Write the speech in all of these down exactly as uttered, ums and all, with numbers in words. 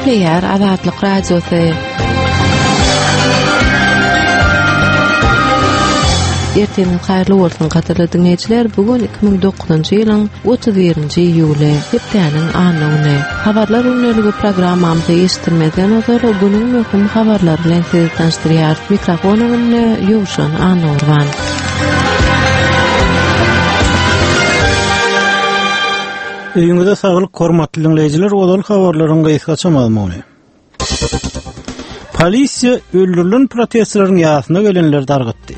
Gepleýär Azatlyk Radiosy. Ertiriňiz haýyrly bolsun gadyrly diňleýjiler. Bu gün iki müň dokuzynjy ýylyň otuz birinji iýuly, hepdäniň anna güni. Habarlar gündeligi programmamyzy eşitdirmezden ozal günüň möhüm habarlary bilen sizi tanyşdyrýarys. Mikrofon öňünde Ýowşan Annagurban. Öýüňize saglyk hormatly diňleýjiler, ozal habarlaryň gysgaça mazmuny. Polisiýa öldürilen protestçileriň ýasyna gelenleri dargatdy.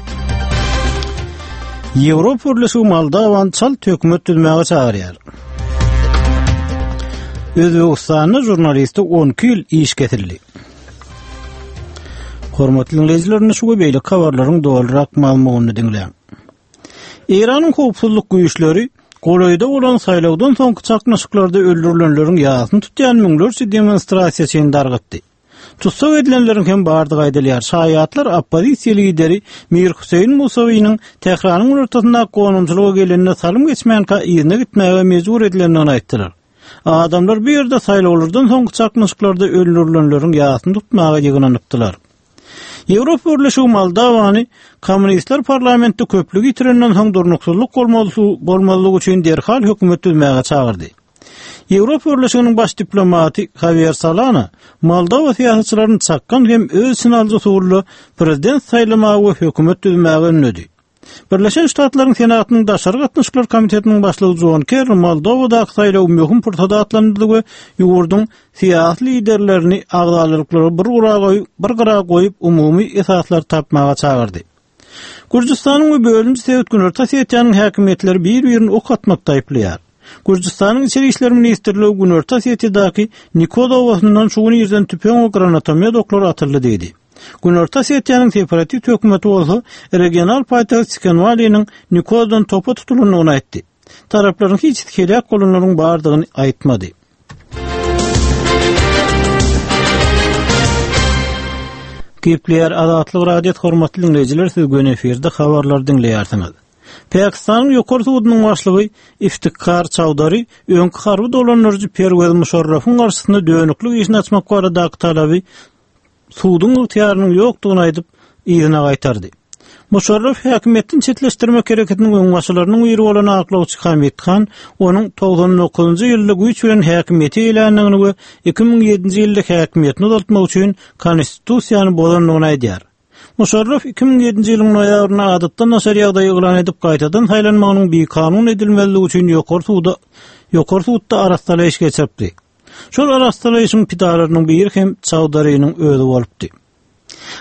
Ýewropa Birleşigi Moldawany çalt hökümet düzmäge çagyrýar. Özbegistanda žurnaliste on iki ýyl iş kesildi. Hormatly diňleýjiler, indi şu we beýleki habarlaryň dolurak mazmunyny diňläň. Eýranyň howpsuzlyk güýçleri golaýda bolan saýlawdan soňky çaknyşyklarda öldürilenleriň ýasyny tutýan müňlerçe demonstrasiýaçyny dargatdy. Tussag edilenleriň hem bardygy aýdylýar. Şaýatlar oppozisiýa lideri Mir Hüseýin Musawiniň Tähranyň günortasyndaky gonamçylyga gelenine salym geçmänkä yzyna gitmäge mejbur edilendigini aýtdylar. Adamlar bu ýerde saýlawlardan soňky çaknyşyklarda öldürilenleriň ýasyny tutmaga ýygnanypdylar. Ýewropa Birleşigi Moldawany kommunistler parlamentde köplügi ýitirenden soň durnuksyzlyk bolmazlygy üçin derhal hökümet düzmäge çagyrdy. Ýewropa Birleşiginiň baş diplomaty Javier Solana Moldowa syýasatçylaryny çakgan hem öz içine alyjy usulda prezident saýlamaga we hökümet düzmäge ündedi. Birleşen Ştatlaryň Senatynyň Daşary gatnaşyklar komitetiniň başlygy John Kerry Moldowadaky saýlawy möhüm pursat atlandyrdy we ýurduň syýasy liderlerini agzalyklary bir gyra goýup, bir gyra goýup umumy esaslar tapmaga çagyrdy. Gürjüstanyň we bölünji sebit Günorta Osetiýanyň häkimiýetleri bir-birini ok atmakda aýyplaýar. Gürjüstanyň Içeri işler ministrligi Günorta Osetiýadaky Nikoz obasyndan şu gün irden tüpeň we granatomet oklary atyldy diýdi. Günorta Osetiýanyň separatist hökümeti bolsa regional paýtagt Skenwaliniň Nikozdan topa tutulandygyny aýtdy. Taraplaryň hiç heläk bolanlaryň bardygyny aýtmady. Gepleýär Azatlyk Radiosy hormatly diňleýjiler, siz göni efirde habarlary diňleýärsiňiz. Pakistanyň ýokary sudunyň başlygy Iftikhar Çawdary öňki harby dolandyryjy Perwez Muşarrafyň garşysynda dönüklik işini açmak baradaky talaby suduň ygtyýarynyň ýokdugyny aýdyp, yzyna gaýtardy. Muşarraf häkimiýetden çetleşdirmek hereketiniň öňbaşçylarynyň biri bolan aklawçy Hamid Han onuň togsan dokuzynjy ýylda güýç bilen häkimiýete eýländigini we iki müň ýedinji ýylda häkimiýetini uzaltmak üçin konstitusiýany bozandygyny aýdýar. Muşarraf iki müň ýedinji ýylyň noýabrynda adatdan daşary ýagdaý yglan edip gaýtadan saýlanmagynyň bikanun edilmezligi üçin ýokary suda, ýokary sudda arastalaýyş geçiripdi. Şol arastalaýyşyň pidalarynyň biri hem Çawdarynyň özi bolupdy.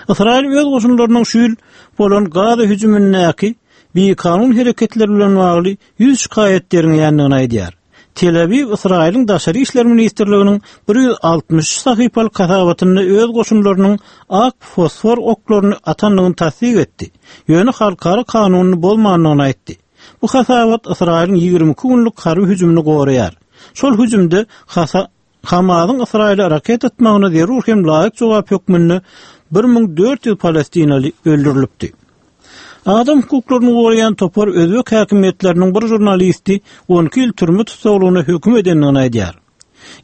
Ysraýyl öz goşunlarynyň şu ýyl bolan Gaza hüjümindäki bikanun hereketler bilen bagly ýüz şikaýat derňeýändigini aýdýar. Tel Awiw Ysraýylyň Daşary işler ministrliginiň bir ýüz altmyş üç sahypalyk hasabatynda öz goşunlarynyň ak fosfor oklaryny atandygyny tassyk etdi. Ýöne halkara kanunyny bozmandygyny aýtdy. Bu hasabat Ysraýylyň ýigrimi iki günlük harby hüjümini goraýar. Şol hüjümde hasa-, Hamasyň Ysraýyla raket atmagyna zerur hem laýyk jogap hökmünde bir müň dört ýüz palestinaly öldürilipdi. Adam hukuklaryny goraýan topar özbek häkimiýetleriniň bir žurnalisti on iki ýyl türme tussaglygyna höküm edendigini aýdýar.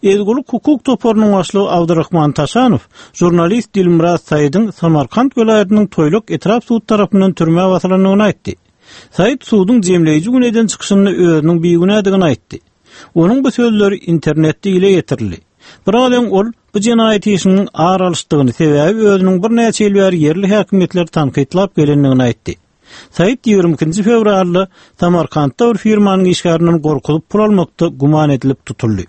Ezgulik hukuk toparynyň başlygy Abdurrahman Taşanow žurnalist Dilmurad Saýdyň Samarkant welaýatynyň Toýluk etrap sud tarapyndan türmä basylandygyny aýtdy. Saýd suduň jemleýji gün eden çykyşynda özüniň bigünädigini aýtdy. Onuň bu sözleri internetde ile getirildi. Biraz öň ol bu jenaýat işiniň ar alyşdygyny, sebäbi özüniň birnäçe ýyl bäri ýerli häkimiýetleri tankytlap gelendigini aýtdy. Saýd ýigrimi ikinji fewralda Samarkantda bir firmanyň işgärinden gorkuzyp pul almakda güman edilip tutuldy.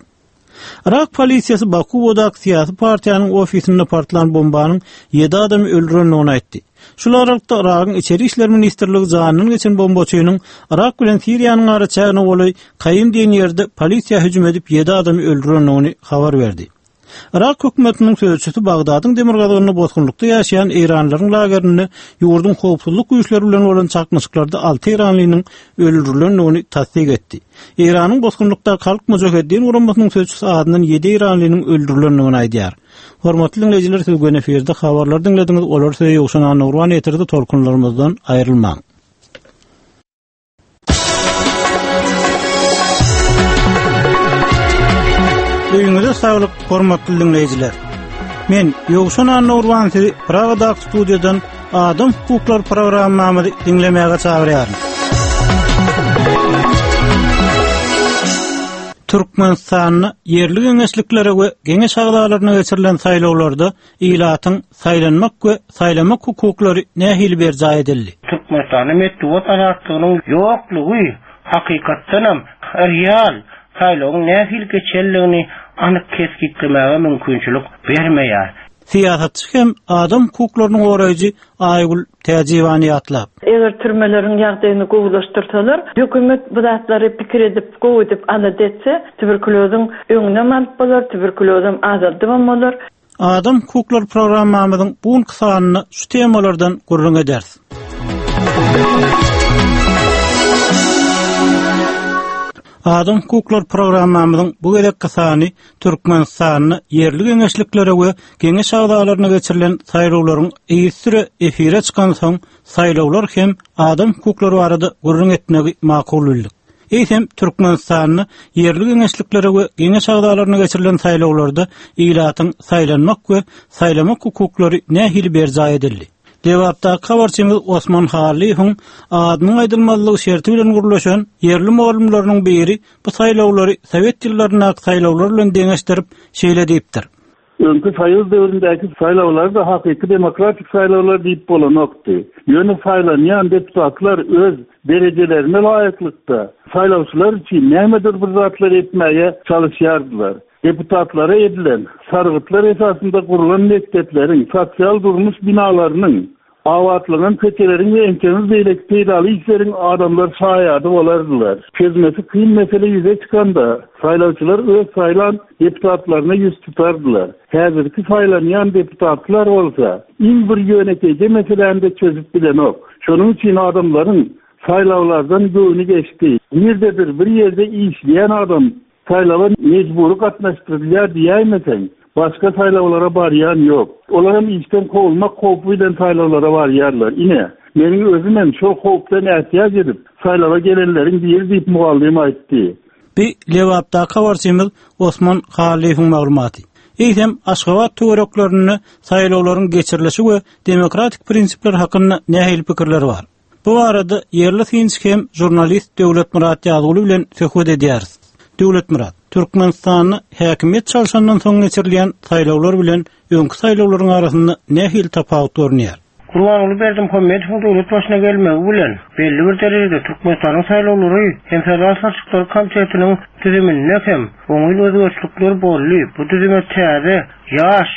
Irak polisiýasy Bakuwadaky syýasy partiýanyň ofisinde partlan bombanyň ýedi adamy öldürendigini aýtdy. Şul aralykda Iragyň Içeri işler ministrligi janyndan geçen bombaçynyň Irak bilen Siriýanyň araçägine golaý Kaýym diýen ýerde polisiýa hüjüm edip ýedi adamy öldürendigini habar berdi. Irak hökümetiniň sözçüsi Bagdadyň demirgazygynda bosgunlykda ýaşaýan Eýranlaryň lagerinde ýurduň howpsuzlyk güýçleri bilen bolan çaknyşyklarda alty Eýranlynyň öldürilendigini tassyk etdi. Eýranyň bosgunlykdaky Halk Mujaheddin guramasynyň sözçüsi adyndan ýedi Eýranlynyň öldürilendigini aýdýar. Hormatly diňleýjiler, siz göni efirde habarlar diňlediňiz, olar size Ýowşan Annagurban ýetirdi, tolkunlarymyzdan aýrylmaň. Öýüňize saglyk, hormatly diňleýjiler. Men Ýowşan Annurwan sizi Pragadaky studiýadan Adam hukuklary programmamyzy diňlemäge çagyrýaryn. Türkmenistanda ýerli geňeşliklere we geňeş agzalaryna geçirilen saýlawlarda ilatyň saýlanmak we saýlamak hukuklary nähili berjaý edildi? Türkmenistanda metbugat azatlygynyň ýoklugy hakykatdanam real saýlawyň nähili geçenligini anyk kesgitlemäge mümkinçilik bermeýär. Syýasatçy hem adam hukuklarynyň goraýjy Aýgül Täjiwany ýatlap. Eger türmeleriň ýagdaýyny gowulaşdyrsalar, hökümet bu zatlary pikir edip, gowy edip alada etse, tuberkulozun öňüne alyp bolar, tuberkulozum azaldybam bolar. Adam hukuklary programmamyzyň bu günki sanynda şu temalardan gürrüň ederis. Adam hukuklary programmamyzyň bu gezekki sany Türkmenistanda ýerli geňeşliklere we geňeş agzalaryna geçirilen saýlawlaryň yzysüre efire çykan soň saýlawlar hem adam hukuklary barada gürrüň etmegi makul bildik. Eýsem Türkmenistanda ýerli geňeşliklere we geňeş agzalaryna geçirilen saýlawlarda ilatyň saýlanmak we saýlamak hukuklary nähili berjaý edildi? Lebapdaky habarçymyz Osman Hallyýewiň adynyň aýdylmazlygy şerti bilen gurlaşan ýerli mugallymlarynyň biri bu saýlawlary Sowet ýyllaryndaky saýlawlar bilen deňeşdirip şeýle diýipdir. Öňki Soýuz döwründäki saýlawlar da hakyky demokratik saýlawlar diýip bolanokdy. Ýöne saýlanýan deputatlar öz derejelerine laýyklykda saýlawçylar üçin nämedir bir zatlar etmäge çalışýardylar. Deputatlara edilen sargytlar esasynda gurulan mekdepleriň, sosial durmuş binalarynyň, abatlanan köçeleriň we ençeme beýleki peýdaly işleriň adamlar şaýady bolardylar. Çözmesi kyn mesele ýüze çykanda saýlawçylar öz saýlan deputatlaryna ýüz tutardylar. Häzirki saýlanýan deputatlar bolsa iň bir ýönekeýje meseläni de çözüp bilenok. Şonuň üçin adamlaryň saýlawlardan göwni geçdi. Nirdedir bir ýerde işleýän adam saýlawa mejbury gatnaşdyrylýar diýäýmeseň, başga saýlawlara barýan ýok. Olar hem işden kowulmak howpy bilen saýlawlara barýarlar. Ine, meniň özüm hem şol howpdan ätiýaç edip, saýlawa gelenleriň biri diýip mugallym aýtdy. Bi Lebapdaky habarçymyz Osman Hallyýewiň maglumaty. Eýsem Aşgabat töwereklerinde saýlawlaryň geçirilişi we demokratik prinsipler hakynda nähili pikirler bar? Bu arada ýerli synçy hem žurnalist Döwletmyrat Ýazguly bilen söhbet edýäris. Döwletmyrat, Türkmenistanda häkimiýet çalşandan soň geçirilýän saýlawlar bilen öňki saýlawlaryň arasynda nähili tapawut görünýär? Gurbanguly Berdimuhamedowyň döwlet başyna gelmegi bilen belli bir derejede Türkmenistanyň saýlawlary hem saýlaw salşyklary komitetiniň düzüminde hem oňyn özgerişlikler boldy. Bu düzüme täze ýaş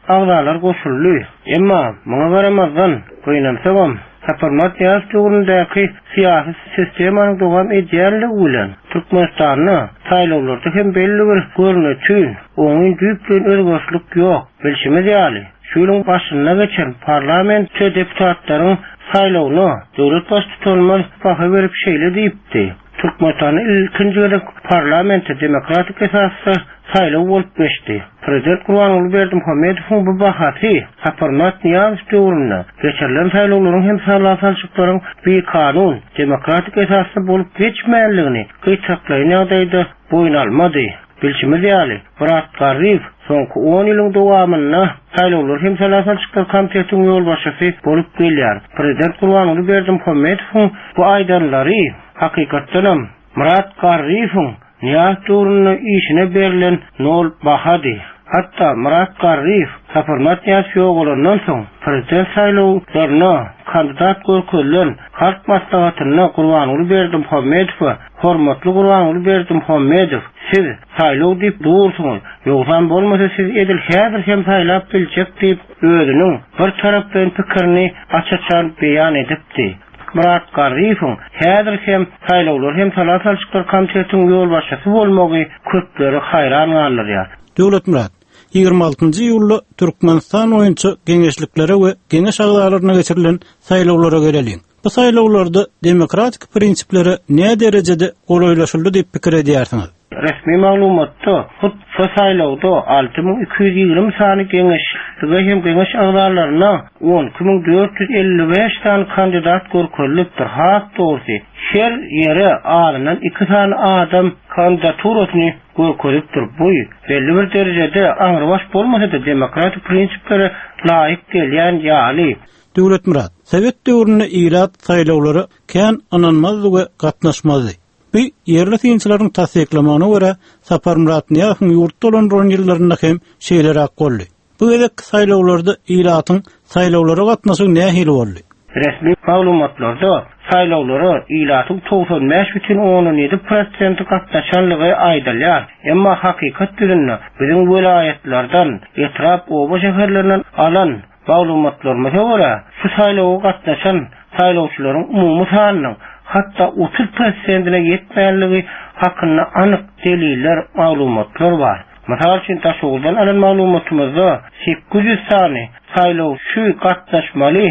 agzalar goşuldy. Emma muňa garamazdan gynansagam Saparmyrat Nyýazow döwründäki syýasy sistemanyň dowam edýänligi bilen Türkmenistanda saýlawlarda hem belli bir görnütün, oňyn düýpleýin özgerişlik ýok. Bilşimiz ýaly, şu ýylyň başynda geçen parlament deputatlaryň saýlawyna döwlet baştutanymyz baha berip şeýle diýipdi. Türkmenistanda ilkinji gezek parlamente demokratik esasda saýlaw bolup geçdi. Prezident Gurbanguly Berdimuhamedowyň bu bahasy Saparmyrat Nyýazow döwründe geçirilen saýlawlaryň hem saýlaw salşyklaryň bikanun, demokratik esasda bolup geçmänligini gytaklaýyn ýagdaýda boýun almady. Bilşimiz ýaly, Myrat Garryýew soňky on ýylyň dowamynda saýlawlar hem saýlaw salşyklar komitetiniň ýolbaşçysy bolup gelýär. Prezident Gurbanguly Berdimuhamedowyň bu aýdanlary hakykatdanam Myrat Garryýewiň Nyýazow döwründe işine berlen nol bahady. Hatda Myrat Garryýew Saparmyrat Nyýazow ýogalandan soň prezident saýlawlaryna kandidat görkezilen Halk Maslahatynda Gurbanguly Berdimuhamedowa hormatly Gurbanguly Berdimuhamedow, siz saýlaw diýip dursuňyz, ýogsam bolmasa siz edil häzir hem saýlap biljek diýip özüniň bir tarapdan pikirini aç-açan beýan edipdi. Myrat Garryýewiň häzir hem saýlawlar hem saýlaw salşyklar komitetiniň ýolbaşçysy bolmagy köpleri haýran galdyrýar. Döwletmyrat, ýigrimi altynjy iýulda Türkmenistan boýunça geňeşliklere we geňeş agzalaryna geçirilen saýlawlara geleliň. Bu saýlawlarda demokratik prinsiplere näme derejede golaýlaşyldy diýip pikir edýärsiňiz? Resmi maglumatda hut şu saýlawda alty müň iki ýüz ýigrimi sany geňeşlige hem geňeş agzalaryna on iki müň dört ýüz elli bäş sany kandidat görkezilipdir. Has dogrusy, her ýere azyndan iki sany adam kandidaturasyny görkezipdir. Bu belli bir derejede aňrybaş bolmasa-da demokratik prinsiplere laýyk gelýän ýaly. Döwletmyrat, Sowet döwründe ilat saýlawlara kän ynanmazdy we gatnaşmazdy. Bu ýerli synçylaryň tassyklamagyna görä Saparmyrat Nyýazowyň ýurt dolandyran ýyllarynda hem şeýleräk boldy. Bu gezek saýlawlarda ilatyň saýlawlara gatnaşygy nähili boldy? Resmi maglumatlarda saýlawlara ilatyň togsan bäş bütin ondan ýedi prosenti gatnaşanlygy aýdylýar. Emma hakykat ýüzünde biziň welaýatlardan, etrap, oba şäherlerinden alan maglumatlarymyza görä şu saýlawa gatnaşan saýlawçylaryň umumy sanynyň hatda otuz prosentine ýetmänligi hakynda anyk deliller, maglumatlar bar. Mysal üçin Daşoguzdan alan maglumatymyzda sekiz ýüz sany saýlawçy gatnaşmaly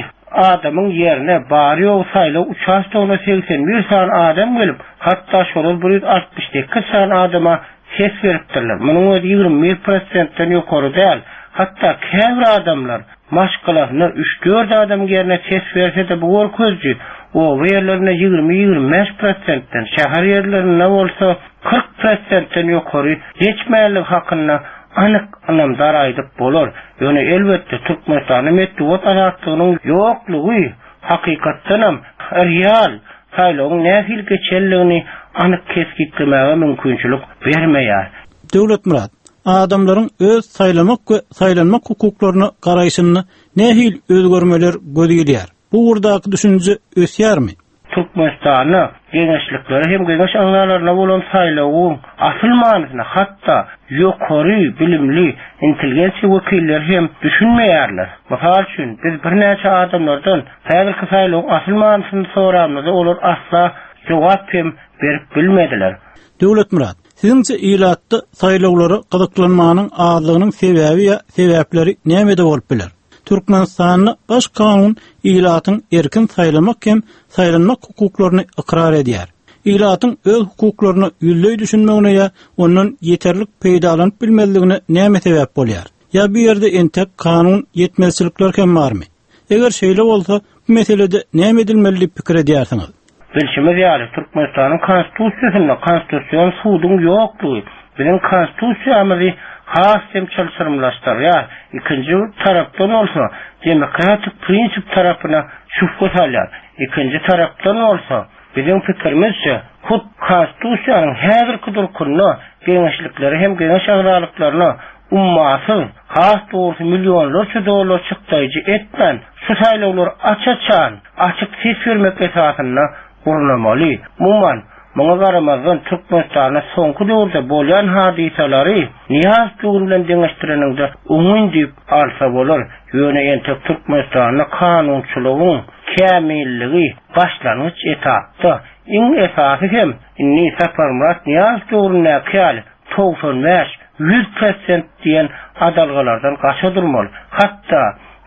adamyň ýerine bary ýogy saýlaw uçastogyna seksen bir sany adam gelip, hatda şolar bir ýüz altmyş sekiz sany adama ses beripdirler. Munuň özi ýigrimi bir prosentden ýokary däl. Hatda käbir adamlar maşgalasyna üç dört adam ýerine ses berse de bu görkezji oba ýerlerinde ýigrimi ýigrimi bäş prosentden, şäher ýerlerinde bolsa kyrk prosentden ýokary geçmänligi hakynda anyk ynamdar aýdyp bolar. Ýöne elbetde Türkmenistanyň metbugat azatlygynyň ýoklugy hakykatdanam real saýlawyň nähili geçenligini anyk kesgitlemäge mümkinçilik bermeýär. Döwletmyrat, adamlaryň öz saýlamak we saýlanmak hukuklaryna garaýşyny nähili özgermeler göz ilýär? Bu ugurdaky düşünje ösýärmi? Türkmenistanda geňeşlikleri hem geňeş agzalaryna bolan saýlawyň asyl manysyna hatda ýokary bilimli intelligensiýa wekilleri hem düşünmeýärler. Mysal üçin biz birnäçe adamlardan häzirki saýlawyň asyl manysyny soramyzda olar asla jogap hem berip bilmediler. Döwletmyrat, siziňçe ilatda saýlawlara gyzyklanmanyň azlygynyň sebäbi ýa sebäpleri nämede bolup biler? Türkmenistanda baş kanun ilatyň erkin saýlamak hem saýlanmak hukuklaryny ykrar edýär. Ilatyň öz hukuklaryny ýüzleý düşünmegine ýa ondan ýeterlik peýdalanyp bilmezligine näme sebäp bolýar? Ýa bu ýerde entek kanun ýetmezçilikler hem barmy? Eger şeýle bolsa, bu meselede näme edilmeli diýip pikir edýärsiňiz? Bilşimiz ýaly, Türkmenistanyň konstitusiýasynda konstitusion suduň ýoklugy biziň konstitusiýamyzy has hem çylşyrymlaşdyrýar. Ikinji tarapdan bolsa demokratik prinsip tarapyna şübhe salýar. Ikinji tarapdan bolsa biziň pikirimizçe hut konstitusiýanyň häzirki durkunda geňeşlikleri hem geňeş agzalyklaryna ummasyz, has dogrusu milyonlarça dollar çykdaýjy etmän, şu saýlawlar aç-açan, açyk ses bermek esasynda gurnamaly. Umuman, muňa garamazdan Türkmenistanda soňky döwürde bolýan hadysalary Nyýazow döwri bilen deňeşdireniňde oňyn diýip alsa bolar. Ýöne entek Türkmenistanda kanunçylygyň kämilligi başlangyç etapda, iň esasy hem indi Saparmyrat Nyýazow döwründäki ýaly togsan bäş, ýüz prosent diýen adalgalardan gaça durmaly. Hatda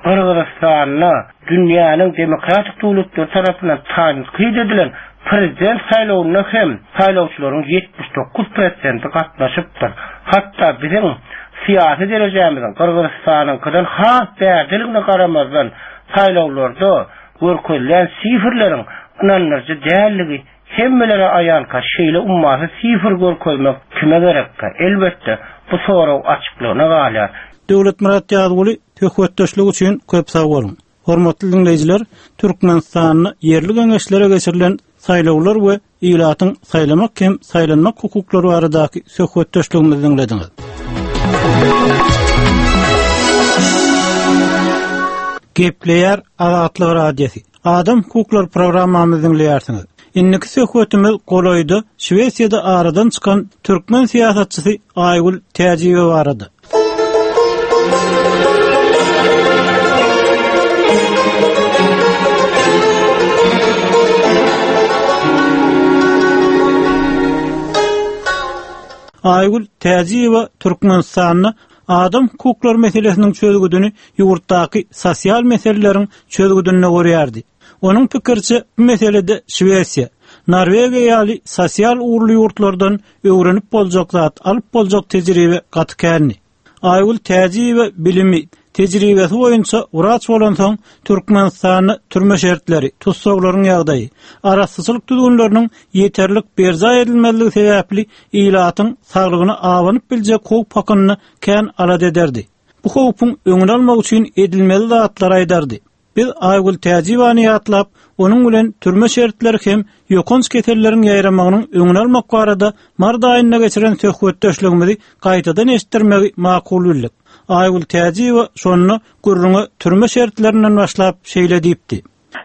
Gyrgyzystanda dünýäniň demokratik döwletleri tarapyndan tankyt edilen prezident saýlawynda hem saýlawçylaryň ýetmiş dokuz prosenti gatnaşypdyr. Hatda biziň syýasy derejämiziň Gyrgyzystanyňkydan has bärdeligine garamazdan saýlawlarda görkezilen sifrleriň ynandyryjy dälligi hemmelere aýanka şeýle ummasyz sifr görkezmek kime gerekkä? Elbetde bu sorag açyklygyna galýar. Döwletmyrat Ýazguly söhbetdeşlik üçin köp sag boluň. Hormatly dinleýjiler, Türkmenistanda ýerli geňeşlere geçirilen saýlawlar we ilatyň saýlamak hem saýlanmak hukuklary baradaky söhbetdeşligimizi dinlediňiz. Gepleýär Azatlyk Radiosy. Adam hukuklary programmamyzy dinleýärsiňiz. Indiki söhbetimiz golaýda Şwesiýada aradan çykan türkmen syýasatçysy Aýgül Täjiýewa barada. Aýgül Täjiýewa Türkmenistanda adam hukuklary meselesiniň çözgüdini ýurtdaky sosial meseleleriň çözgüdinde görýärdi. Onuň pikirçe bu meselede Şwesiýa, Norwegiýa ýaly sosial ugurly ýurtlardan öwrenip boljak zat, alyp boljak tejribe gaty känli. Aýgül Täjiýewa bilimi, Tejribesi boýunça wraç bolansoň Türkmenistanda türme şertleri, tussaglaryň ýagdaýy, arassaçylyk düzgünleriniň ýeterlik berjaý edilmezligi sebäpli ilatyň saglygyna abanyp biljek howp hakynda kän alada ederdi. Bu howpuň öňüni almak üçin edilmeli zatlar aýdardy. Biz Aygül Täjiwany ýatlap, onuň bilen türme şertleri hem ýokanç keselleriň ýaýramagynyň öňüni almak barada mart aýynda geçiren söhbetdeşligimizi gaýtadan eşitdirmegi makul bildik. Aygül Täjiwa şonda gürrüňe türme şertlerinden başlap şeýle diýipdi.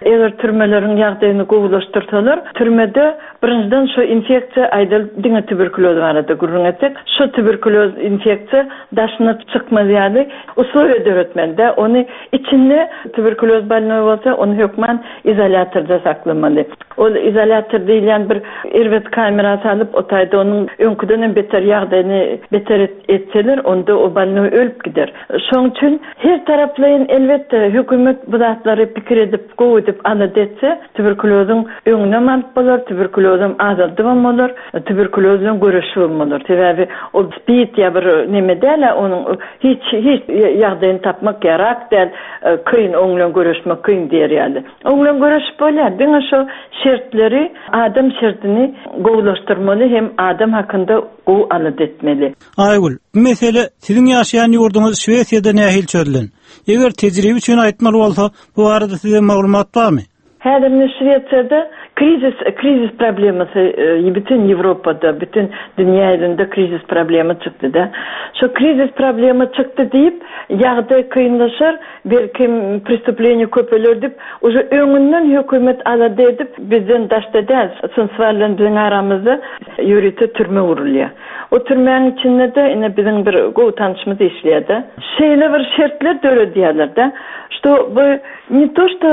Eger türmeleriň ýagdaýyny gowulaşdyrsalar, türmede birinjiden şu infeksiýa aýdal diňe tuberkuloz barada gürrüň etsek, şu tuberkuloz infeksiýa daşyna çykmaz ýaly usuly döretmeli-de, ony içinde tuberkuloz bolnoý bolsa, ony hökman izolyatorda saklamaly. Ol izolyator diýilýän bir erbet kamera salyp, o taýda onuň öňküden hem beter ýagdaýyny beter etseler, onda o bolnoý ölüp gider. Şoň üçin her taraplaýyn elbetde hökümet bu zatlary pikir edip, gowy edip alada etse, tuberkulozyň öňüne alyp bolar, tuberkulozam azaldybam bolar, tuberkuloz bilen göreşibem bolar. Sebäbi o spid ýa bir neme däl, onuň hiç hiç ýagdaýyny tapmak ýarak däl, kyn oň bilen göreşmek kyn diýer ýaly. Oň bilen göreşip bolýar. Diňe şu şertleri, adam şertini gowulaşdyrmaly hem adam hakynda gowy alada etmeli. Aygül, bu mesele siziň ýaşaýan ýurduňyz Şwesiýada nähili çözülen? Eger tejribe üçin aýtmaly bolsa, bu barada size maglumat barmy? Häzir Şwesiýada krizis, krizis problemasy, e, bütün Ýewropada, bütün dünýä ýüzünde krizis problema çykdy da. Şu krizis problema çykdy diýip, ýagdaý kynlaşar, belki prestупление köpeler diýip, уже öňünden hökümet alada edip, bizden daşda däl, Sundsvall bilen biziň aramyzda ýörite türme gurulýar. O türmäniň içinde de ine biziň bir gowy tanışymyz işleýär-de. Şeýle bir şertler döredýärler de, что bu не то что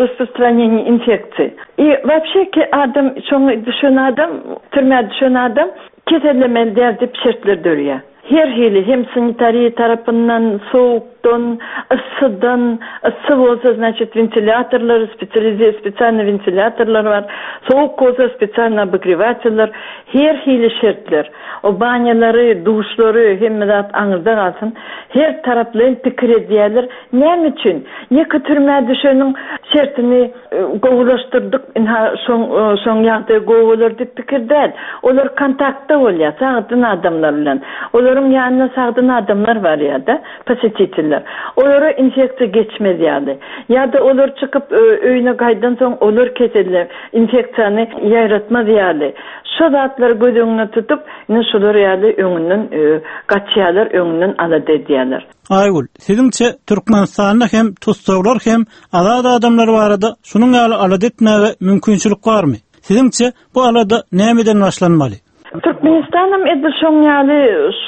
распространение инфекции. И вообще ki adam şoňa düşen adam, türmä düşen adam kesellemeli däl diýip şertler dörýär. Her hili hem sanitariýa tarapyndan, soğukdan, yssydan, ıssy bolsa, значит, ventilatorlar, специализе, специальный ventilatorlar bar. Soğuk bolsa специально обогревательler, her hili şertler. O banyaları, duşlary hemme zat aňyrda galsyn. Her taraplaýyn pikir edýärler. Näme üçin? Ýeke türmä düşeniň şertini e, gowulaşdyrdyk, inha şoň e, şoň ýagdaý gowy bolar diýip pikir däl. Olar kontaktda bolýar, sagdyn adamlar bilen. Olaryň ýanyna sagdyn adamlar bar ýa-da посетителler. Olara infeksiýa geçmez ýaly. Ýa-da olar çykyp e, öýüne gaýdan soň olar keseller, infeksiýany ýaýratmaz ýaly. Şu zatlary göz öňüne tutup, ine şular ýaly öňünden e, gaçýarlar, öňünden alada edýärler. Aygül, siziňçe Türkmenistanda hem tussaglar hem azat adamlar barada şunuň ýaly alada etmäge mümkinçilik barmy? Siziňçe bu alada nämeden başlanmaly? Türkmenistanam edil şoň ýaly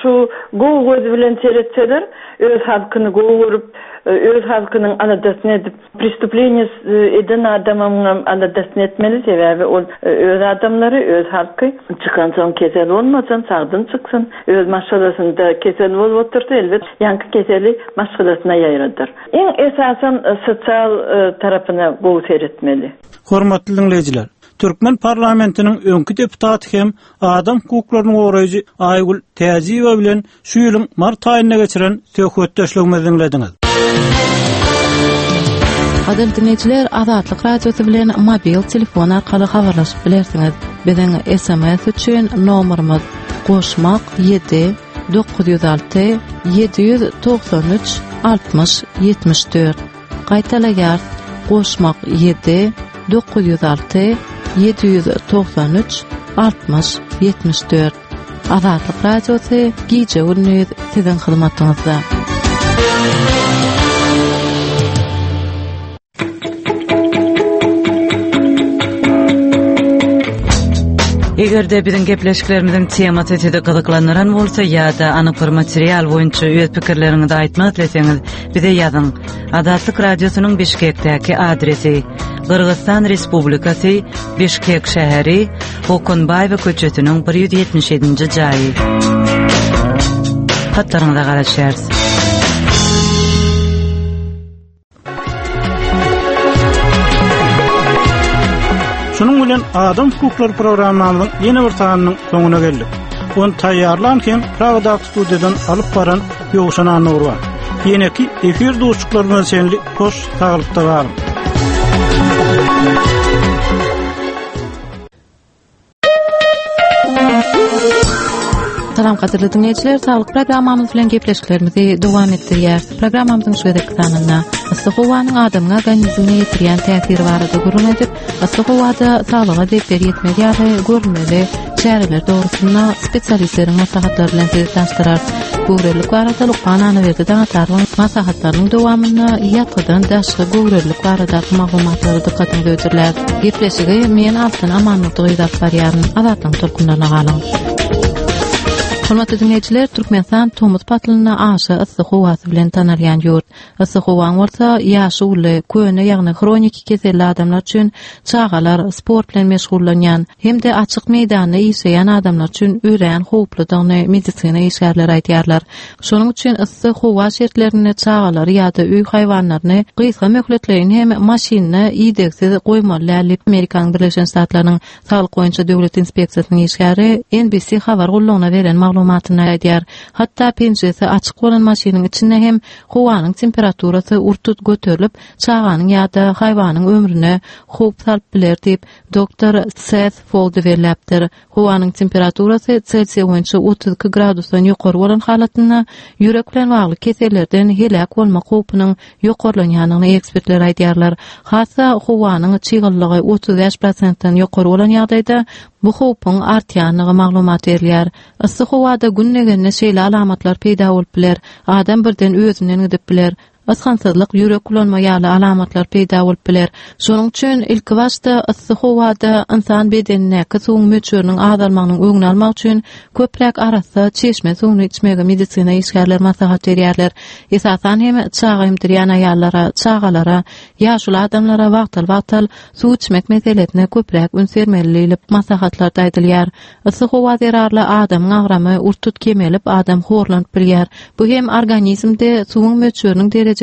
şu gowy göz bilen seretseler, öz halkyny gowy görüp, öz halkynyň aladasyny edip, prestупление eden adamyň aladasyny etmeli, sebäbi ol öz adamlary, öz halky çykan soň kesel bolmasyn, sagdyn çyksyn, öz maşgalasynda kesel bolup otursa, elbet ýaňky keseli maşgalasyna ýaýradyr. Iň esasan sosial tarapyna gowy seretmeli. Hormatly dinleýjiler, Türkmen parlamentiniň öňki deputaty hem adam hukuklaryny goraýjy Aygül Täjiýewa bilen şu ýylyň mart aýynda geçiren söhbetdeşligimizi dinlediňiz. Gadyrly dinleýjiler, Azatlyk Radiosy bilen mobil telefon arkaly habarlaşyp bilersiňiz. Biziň S M S üçin nomerimiz goşmak ýedi dokuz ýüz alty ýedi ýüz togsan üç altmyş ýetmiş dört. Gaýtalaýar, goşmak ýedi dokuz ýüz alty ýedi ýüz togsan üç altmyş ýetmiş dört. Azatlyk Radiosy gije gündüz siziň hyzmatyňyzda. Eger-de biziň gepleşiklerimizin temasy sizi gyzyklandyran bolsa ýa-da anyk bir material boýunça öz pikirleriňizi aýtmak isleseňiz, bize ýazyň. Azatlyk Radiosynyň Bişkekdäki adresi: Gyrgyzystan Respublikasy, Bişkek şäheri, Okunbaýewa köçesiniň bir ýüz ýetmiş ýedinji jaýy. Hatlaryňyza garaşýarys. Şunuň bilen Adam hukuklary programmamyzyň ýene bir sanynyň soňuna geldik. Ony taýýarlan hem Pragadaky studiýadan alyp baran Ýowşan Annurban. Ýeneki efir duşuklaryna çenli hoş saglykda galyň. Salam gadyrly dinleýjiler, saglyk programmamyz bilen gepleşiklerimizi dowam etdirýäris. Programmamyzyň şu gezekki sanynda yssy howanyň adamyň organizmine ýetirýän täsiri barada gürrüň edip, yssy howada saglyga zeper ýetmez ýaly görülmeli çäreler dogrusynda spesialistleriň maslahatlary bilen sizi tanyşdyrarys. Göwrelilik barada Lukman Anaberdi Daňatarowyň maslahatlarynyň dowamynda ýatgydan daşky göwrelilik baradaky maglumatlary dykgatyňyza hödürläris. Gepleşigi men Altyn Amanmurdy gyz alyp barýaryn. Azatlygyň tolkunlaryna galyň. Hormatly dinleýjiler, Türkmenistan tomus paslynda aşa yssy howasy bilen tanalýan ýurt. Yssy howaň bolsa ýaşy uly, köne ýagny hroniki keselli adamlar üçin çagalar, sport bilen meşgullanýan hem-de açyk meýdanda işleýän adamlar üçin örän howpludygyny medisina işgärleri aýdýarlar. Şonuň üçin yssy howa şertlerinde çagalary ýa-da öý haýwanlaryny gysga möhletleýin hem maşynda idegsiz goýmaly däl diýip Amerikanyň Birleşen Ştatlarynyň Saglyk boýunça döwlet inspeksiýasynyň işgäri N B C habar gullugyna beren maglumatynda aýdýar. Hatda penjiresi açyk bolan maşynyň içinde hem howanyň temperaturasy urtut göterilip, çaganyň ýa-da haýwanyň ömrüne howp salyp biler diýip doktor Seth Foldi belläpdir. Howanyň temperaturasy Selsiý boýunça otuz iki gradusdan ýokary bolan halatynda ýürek bilen bagly kesellerden heläk bolmak howpunyň ýokarlanýandygyny ekspertler aýdýarlar. Hatda howanyň çyglylygy otuz bäş prosentden ýokary bolan ýagdaýda bu howpuň artýandygy maglumat berilýär. Yssy howada gün degende şeýle alamatlar peýda bolup biler. Adam birden özünden gidip biler. Ysgynsyzlyk, ýürek bulanma ýaly alamatlar peýda bolup biler. Şonuň üçin ilki başda yssy howada ynsan bedenindäki suwuň möçberiniň azalmagynyň öňüni almak üçin köpräk arassa çeşme suwuny içmegi medisina işgärleri maslahat berýärler. Esasan hem çaga emdirýän aýallara, çagalara, ýaşuly adamlara wagtal-wagtal suw içmek meselesine köpräk üns bermeli diýlip maslahatlarda aýdylýar. Yssy howa zerarly adamyň agramy urtut kemelip, adam horlanyp bilýär. Bu hem organizmde suwuň möçberiniň derejesiniň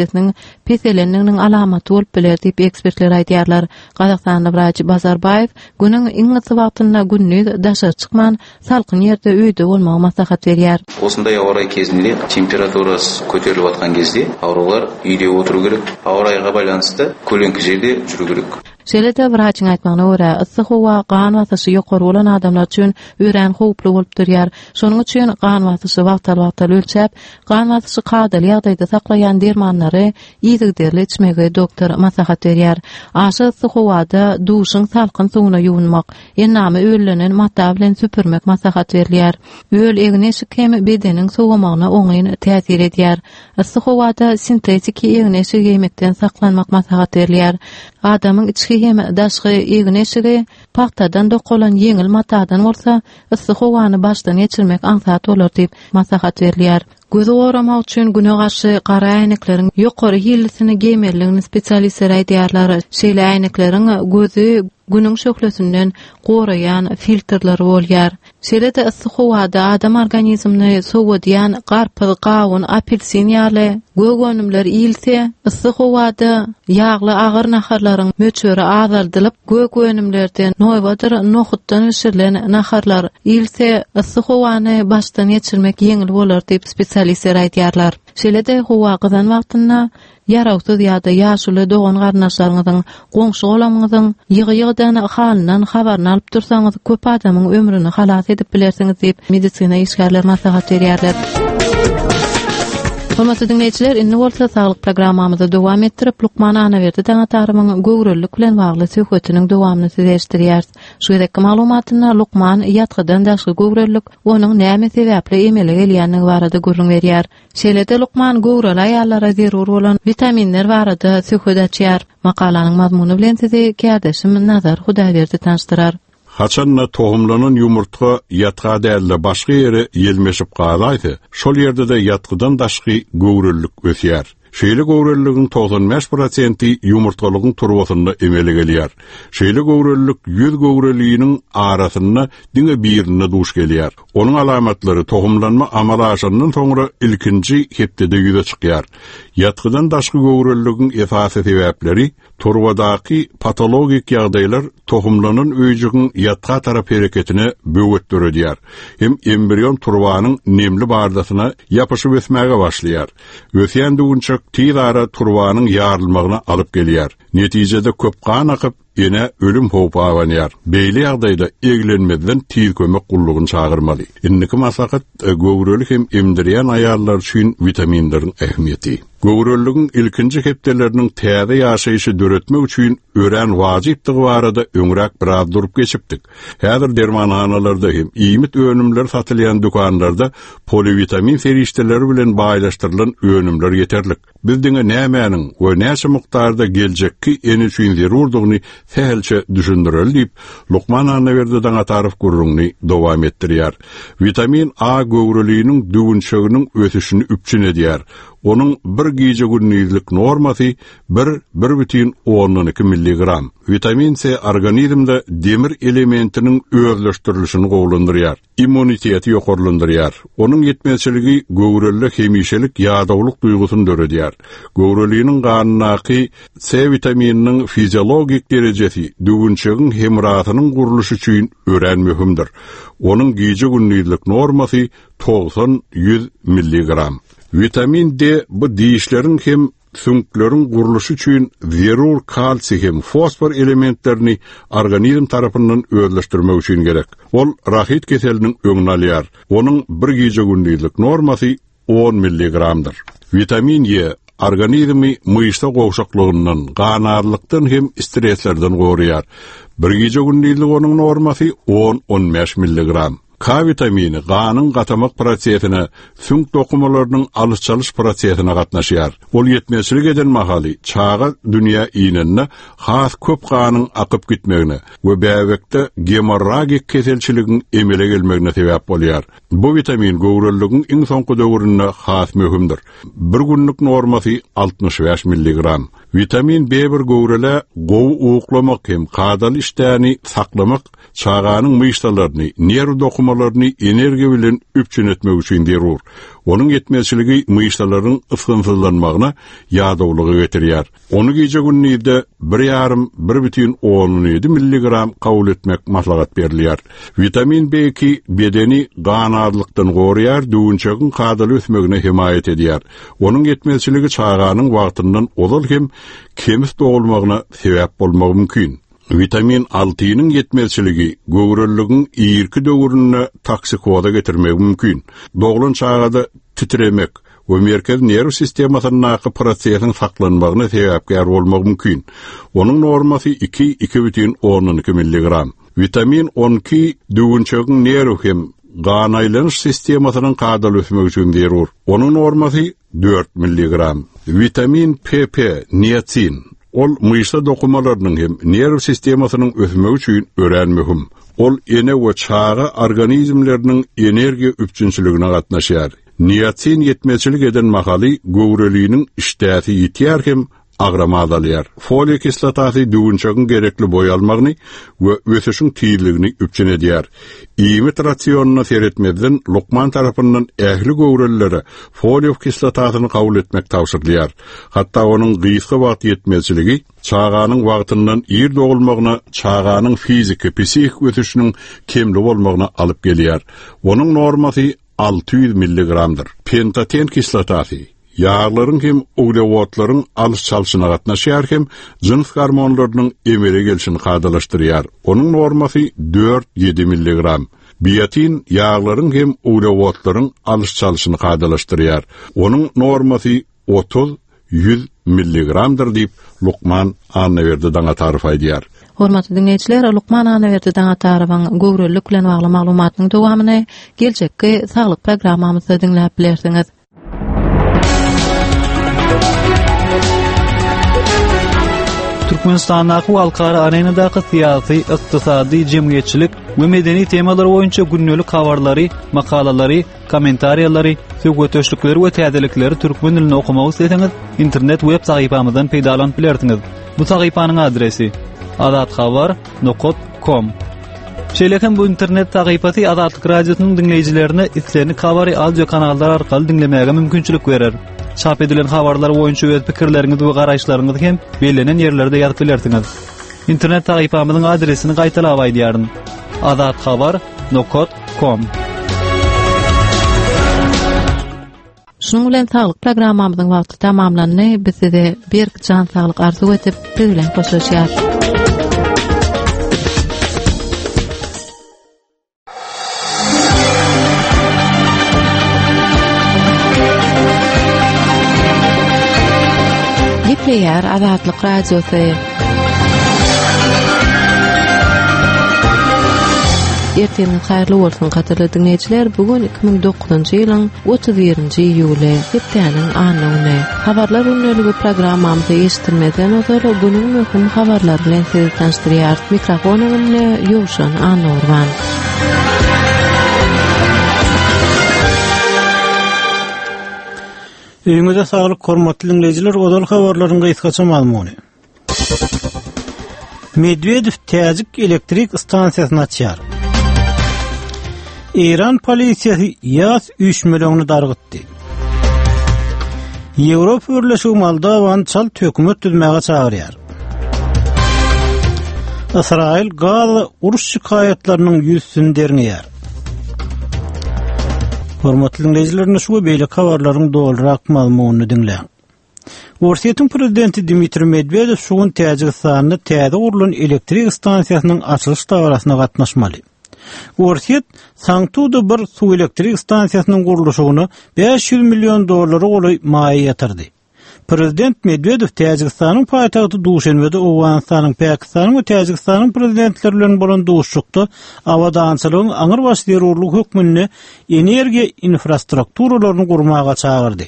peselendiginiň alamaty bolup biler diýip ekspertler aýdýarlar. Gazagystanly wraç Bazarbaýew günüň iň yssy wagtynda gündiz daşary çykman, salkyn ýerde öýde bolmagy maslahat berýär. Осындай ауа райы кезінде температурасы көтеріліп жатқан кезде аурулар үйде отыру керек, ауа райға байланысты көлеңкі жерде жүру керек. Şeýle-de wraçyň aýtmagyna görä, yssy howa gan basyşy ýokary bolan adamlar üçin örän howply bolup durýar. Şonuň üçin gan basyşy wagtal-wagtal ölçäp, gan basyşy kadaly ýagdaýda saklaýan dermanlary yzygiderli içmegi doktor maslahat berýär. Aşa yssy howada duşuň salkyn suwuna ýuwunmak, endamy öllenen mata bilen süpürmek maslahat berilýär. Öl egin-eşik hem bedeniň sowamagyna oňyn täsir edýär. Yssy howada sintetiki egin-eşik geýmekden saklanmak maslahat berilýär. Adamyň içki hem daşky egin-eşigi pagtadan dokalan ýeňil matadan bolsa, yssy howany başdan geçirmek aňsat bolar diýip maslahat berilýär. Gözi goramak üçin güne garşy gara äýnekleriň ýokary hillisini geýmelidigini spesialistler aýdýarlar. Şeýle äýnekleriň gözi günüň şöhlesinden goraýan filtrleri bolýar. Şeýle-de yssy howada adam organizmini sowadýan garpyz, gawun, apelsin ýaly gök önümler iýilse, yssy howada ýagly agyr naharlaryň möçberi azaldylyp, gök önümlerden noýbadyr nohutdan bişirilen naharlar iýilse, yssy howany başdan geçirmek ýeňil bolar diýip spesialistler aýdýarlar. Şeýle-de howa gyzan wagtynda ýarawsyz ýa-da ýaşuly dogan garyndaşlaryňyzyň, goňşy golamyňyzyň ýygy-ýygydan halyndan habaryny alyp dursaňyz, köp adamyň ömrüni halas edip bilersiňiz diýip medisina işgärleri maslahat berýärler. Hormatly dinleýjiler, indi bolsa saglyk programmamyzy dowam etdirip, Lukman Anaberdi Daňatarymyň göwrelilik bilen bagly söhbetiniň dowamyny size eşitdirýäris. Şu gezekki maglumatynda Lukman ýatgydan daşky göwrelilik, onuň näme sebäpli emele gelýändigi barada gürrüň berýär. Şeýle-de Lukman göwreli aýallara zerur bolan witaminler barada söhbet açýar. Makalanyň mazmuny bilen sizi kärdeşim Nazar Hudaýberdi tanyşdyrar. Haçanna tohumlanan ýumurtga ýatga dälde başga ýere ýelmeşip galaýsa, şol ýerde-de ýatgydan daşky göwrelilik ösýär. Şeýle göwreliligiň togsan bäş prosenti ýumurtgalygyň turbasynda emele gelýär. Şeýle göwrelilik ýüz göwreliniň arasynda diňe birinde duş gelýär. Onuň alamatlary tohumlanma amala aşandan soňra ilkinji hepdede ýüze çykýar. Ýatgydan daşky göwreliligiň esasy sebäpleri turbadaky patologik ýagdaýlar tohumlanan öýjügiň ýatga tarap hereketine böwet döredýär. Hem embrion turbanyň nemli bardasyna ýapyşyp ösmäge başlaýar. Ösýän düwünçek tiz ara turbanyň ýarylmagyna alyp gelýär. Netijede köp gan akyp, ene ölüm howpy abanýar. Beýle ýagdaýda eglenmezden tiz kömek gullugyny çagyrmaly. Indiki maslahat göwreli hem emdirýän aýallar üçin vitaminleriň ähmiýeti. Göwreliligiň ilkinji hepdeleriniň täze ýaşaýşy döretmek üçin örän wajypdygy barada öňräk biraz durup geçipdik. Häzir dermanhanalarda hem iýmit önümleri satylýan dükanlarda polivitamin serişdeleri bilen baýlaşdyrylan önümler ýeterlik. Biz diňe nämäniň we näçe mukdarda geljekki ene üçin zerurdygyny sähelçe düşündireli diýip, Lukman Annaberdi Daňatarow gürrüňini dowam etdirýär. Vitamin A göwreliniň düwünçeginiň ösüşini üpjün edýär. Onuň bir gije gündizlik normasy bir, bir bütin ondan iki milligram. Vitamin C organizmde demir elementiniň özleşdirilişini gowulandyrýar. Immuniteti ýokarlandyrýar. Onuň ýetmezçiligi göwrelde hemişelik ýadawlyk duýgusyny döredýär. Göwreliniň ganyndaky C vitamininiň fiziologik derejesi düwünçegiň hemrasynyň gurluşy üçin örän möhümdir. Onuň gije gündizlik normasy togsan ýüz milligram. Vitamin D bu dişleriň hem süňkleriň gurluşy üçin zerur kalsiý hem fosfor elementlerini organizm tarapyndan özleşdirmek üçin gerek. Ol rahit keseliniň öňüni alýar. Onuň bir gije gündizlik normasy on milligramdyr. Vitamin E organizmi myşsa gowşaklygyndan, ganarlykdan hem streslerden goraýar. Bir gije gündizlik onuň normasy on on bäş milligram. K vitamini ganyň gatamak prosesine, süňk dokumalarynyň alyş-çalyş prosesine gatnaşýar. Ol ýetmezçilik eden mahaly çaga dünýä inende has köp ganyň akyp gitmegine we bäbekde gemorragik keselçiligiň emele gelmegine sebäp bolýar. Bu vitamin göwreliligiň iň soňky döwründe has möhümdir. Bir günlük normasy altmyş bäş milligram. Vitamin B bir göwrele gowy uklamak hem kadaly işdäni saklamak, çaganyň myşsalaryny, nerw dokumalaryny energiýa bilen üpjün etmek üçin zerur. Onuň ýetmezçiligi myşsalaryň ysgynsyzlanmagyna ýadawlygy getirýär. Onu gije gündizde bir ýarym, bir bütin on ýedi milligram kabul etmek maslahat berilýär. Vitamin B iki bedeni ganarlykdan goraýar, düwünçegiň kadaly ösmegine hemaýat edýär. Onuň ýetmezçiligi çaganyň wagtyndan ozal hem kemis dogulmagyna sebäp bolmagy mümkin. Vitamin altynyň ýetmezçiligi göwreliligiň irki döwründe toksikoza getirmegi mümkin. Doglan çagada titremek we merkez nerw sistemasyndaky prosesiň saklanmagyna sebäpkär bolmagy mümkin. Onuň normasy iki, iki bütin ondan iki milligram. Vitamin on iki düwünçegiň nerw hem gan aýlanyş sistemasynyň kadaly ösmegi üçin zerur. Onuň normasy dört milligram. Vitamin P P, niacin. Ol myşsa dokumalarynyň hem nerw sistemasynyň ösmegi üçin örän möhüm. Ol ene we çaga organizmleriniň energiýa üpjünçiligine gatnaşýar. Niacin ýetmezçilik eden mahaly göwreliniň işdäsi ýitýär hem agramy azalýar. Foliý kislotasy düwünçegiň gerekli boý almagyny we ösüşiň tizligini üpjün edýär. Iýmit rasionyna seretmezden lukman tarapyndan ähli göwrelilere foliý kislotasyny kabul etmek tabşyrylýar. Hatda onuň gysga wagt ýetmezçiligi çaganyň wagtyndan ir dogulmagyna, çaganyň fiziki, psihik ösüşiniň kemli bolmagyna alyp gelýär. Onuň normasy alty ýüz milligramdyr. Pentoten kislotasy ýaglaryň hem uglewodlaryň alyş-çalşyna gatnaşýar hem jyns gormonlarynyň emele gelşini kadalaşdyrýar. Onuň normasy dört ýedi milligram. Biotin ýaglaryň hem uglewodlaryň alyş-çalşyny kadalaşdyrýar. Onuň normasy otuz ýüz milligramdyr diýip Lukman Annaberdi Daňatarow aýdýar. Hormatly dinleýjiler, Lukman Annaberdi Daňatarowyň göwrelilik bilen bagly maglumatynyň dowamyny geljekki saglyk programmamyzda diňläp bilersiňiz. Türkmenistandaky halkara arenadaky syýasy, ykdysady, jemgyýetçilik we medeni temalar boýunça gündelik habarlary, makalalary, kommentariýalary, söhbetdeşlikleri we täzelikleri türkmen dilinde okumak isleseňiz, internet web sahypamyzdan peýdalanyp bilersiňiz. Bu sahypanyň adresi azathabar nokta com. Şeýle hem bu internet sahypasy Azatlyk Radiosynyň diňleýjilerine islendik habary audio kanallar arkaly diňlemäge mümkinçilik berer. Çap edilen habarlar boýunça öz pikirleriňizi we garaýyşlaryňyzy hem bellenen ýerlerde ýazyp bilersiňiz. Internet sahypamyzyň adresini gaýtalap aýdýaryn. azathabar nokta com. Şunuň bilen saglyk programmamyzyň wagty tamamlandy. Biz size berk jan saglyk arzuw edip, siz bilen hoşlaşýarys. Gepleýär Azatlyk Radiosy. Ertiriň haýyrly bolsun gadyrly diňleýjiler. Bu gün iki müň dokuzynjy ýylyň otuz birinji iýuly, hepdäniň anna güni. Habarlar gündeligi programmamyzy eşitdirmezden ozal günüň möhüm habarlary bilen sizi tanyşdyrýarys. Mikrofon öňünde Ýowşan Annagurban. Öýüňize saglyk hormatly dinleýjiler, ozal habarlaryň gysgaça mazmuny. Medvedev Täjik elektrik stansiýasyny açýar. Eýran polisiýasy ýaz üýşmeleňini dargytdy. Ýewropa Birleşigi Moldowany çalt hökümet düzmäge çagyrýar. Ysraýyl Gaza uruş şikaýatlarynyň ýüzüsini derňeýär. Hormatly dinleýjiler, şu we beýleki habarlaryň dolurak mazmunyny diňläň. Orsýetiň prezidenti Dmitriý Medwedew şu gün Täjigistanda täze gurlan elektrik stansiýasynyň açylyş dabarasyna gatnaşmaly. Orsýet Sangtuda bir suw elektrik stansiýasynyň gurluşygyna bäş ýüz million dollara golaý maýa ýatyrdy. Prezident Medwedew Täjigistanyň paýtagty Duşenbede Owganystanyň, Pakistanyň we Täjigistanyň prezidentleri bilen bolan duşuşykda abadançylygyň aňrybaş zerurlygy hökmünde energiýa infrastrukturalaryny gurmaga çagyrdy.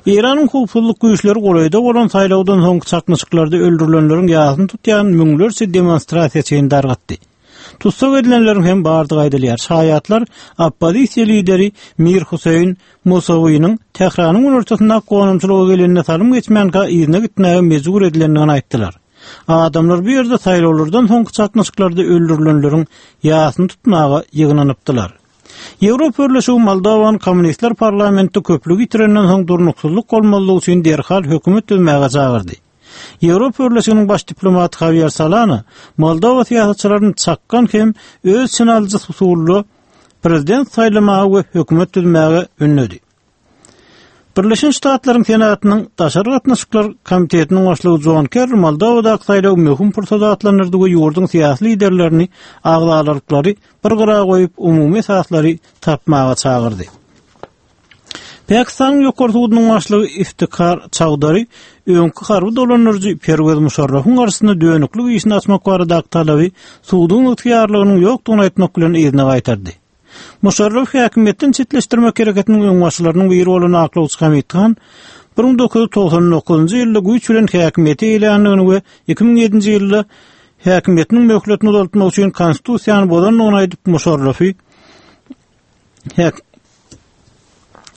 Eýranyň howpsuzlyk güýçleri golaýda bolan saýlawdan soňky çaknyşyklarda öldürilenleriň ýasyny tutýan müňlerçe demonstrasiýaçyny dargatdy. Tussag edilenleriň hem bardygy aýdylýar. Şaýatlar oppozisiýa lideri Mir Huseýn Musawynyň Tähranyň günortasyndaky gonamçylyga gelenine salym geçmänkä yzyna gitmäge mejbur edilendigini aýtdylar. Adamlar bu ýerde saýlawlardan soňky çaknyşyklarda öldürilenleriň ýasyny tutmaga ýygnanypdylar. Ýewropa Birleşigi Moldowanyň kommunistler parlamentde köplügi ýitirenden soň durnuksyzlyk bolmazlygy üçin derhal hökümet düzmäge çagyrdy. Ýewropa Birleşiginiň baş diplomaty Javier Solana Moldowa syýasatçylaryny çakgan hem öz çyn alyjy usulda prezident saýlamaga we hökümet düzmäge ündedi. Birleşen Ştatlaryň Senatynyň Daşary gatnaşyklar komitetiniň başlygy John Kerry Moldowadaky saýlawy möhüm pursat atlandyrdy we ýurduň syýasy liderlerini agzalalyklary bir gyra goýup umumy esaslary tapmaga çagyrdy. Pakistanyň ýokary sudunyň başlygy Iftikhar Çawdary öňki harby dolandyryjy Perwez Muşarrafyň garşysyna dönüklik işini açmak baradaky talaby suduň ygtyýarlygynyň ýokdugyny aýtmak bilen yzyna gaýtardy. Muşarraf häkimiýetden çetleşdirmek hereketiniň öňbaşçylarynyň biri bolan aklawçy Hamid Han bir müň dokuz ýüz togsan dokuzynjy ýylda güýç bilen häkimiýete eýländigini we iki müň ýedinji ýylda häkimiýetiniň möhletini uzaltmak üçin konstitusiýany bozandygyny aýdyp Muşarrafy häk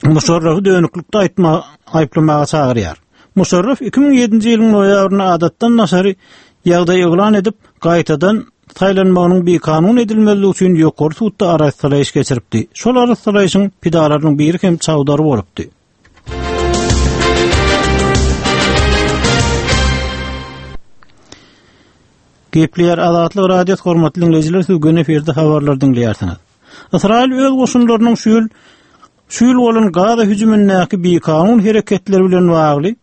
Muşarrafy dönüklikde aýtma, aýyplamaga çagyrýar. Muşarraf iki müň ýedinji ýylyň noýabrynda adatdan daşary ýagdaý yglan edip, gaýtadan saýlanmagynyň bikanun edilmezligi üçin ýokary sudda arastalaýyş geçiripdi. Şol arastalaýyşyň pidalarynyň biri hem Çawdary bolupdy. Gepleýär Azatlyk Radiosy hormatly dinleýjiler, siz gün efirde habarlar diňleýärsiňiz. Ysraýyl öz goşunlarynyň şu ýyl şu ýyl bolan Gaza hüjümindäki bikanun hereketler bilen bagly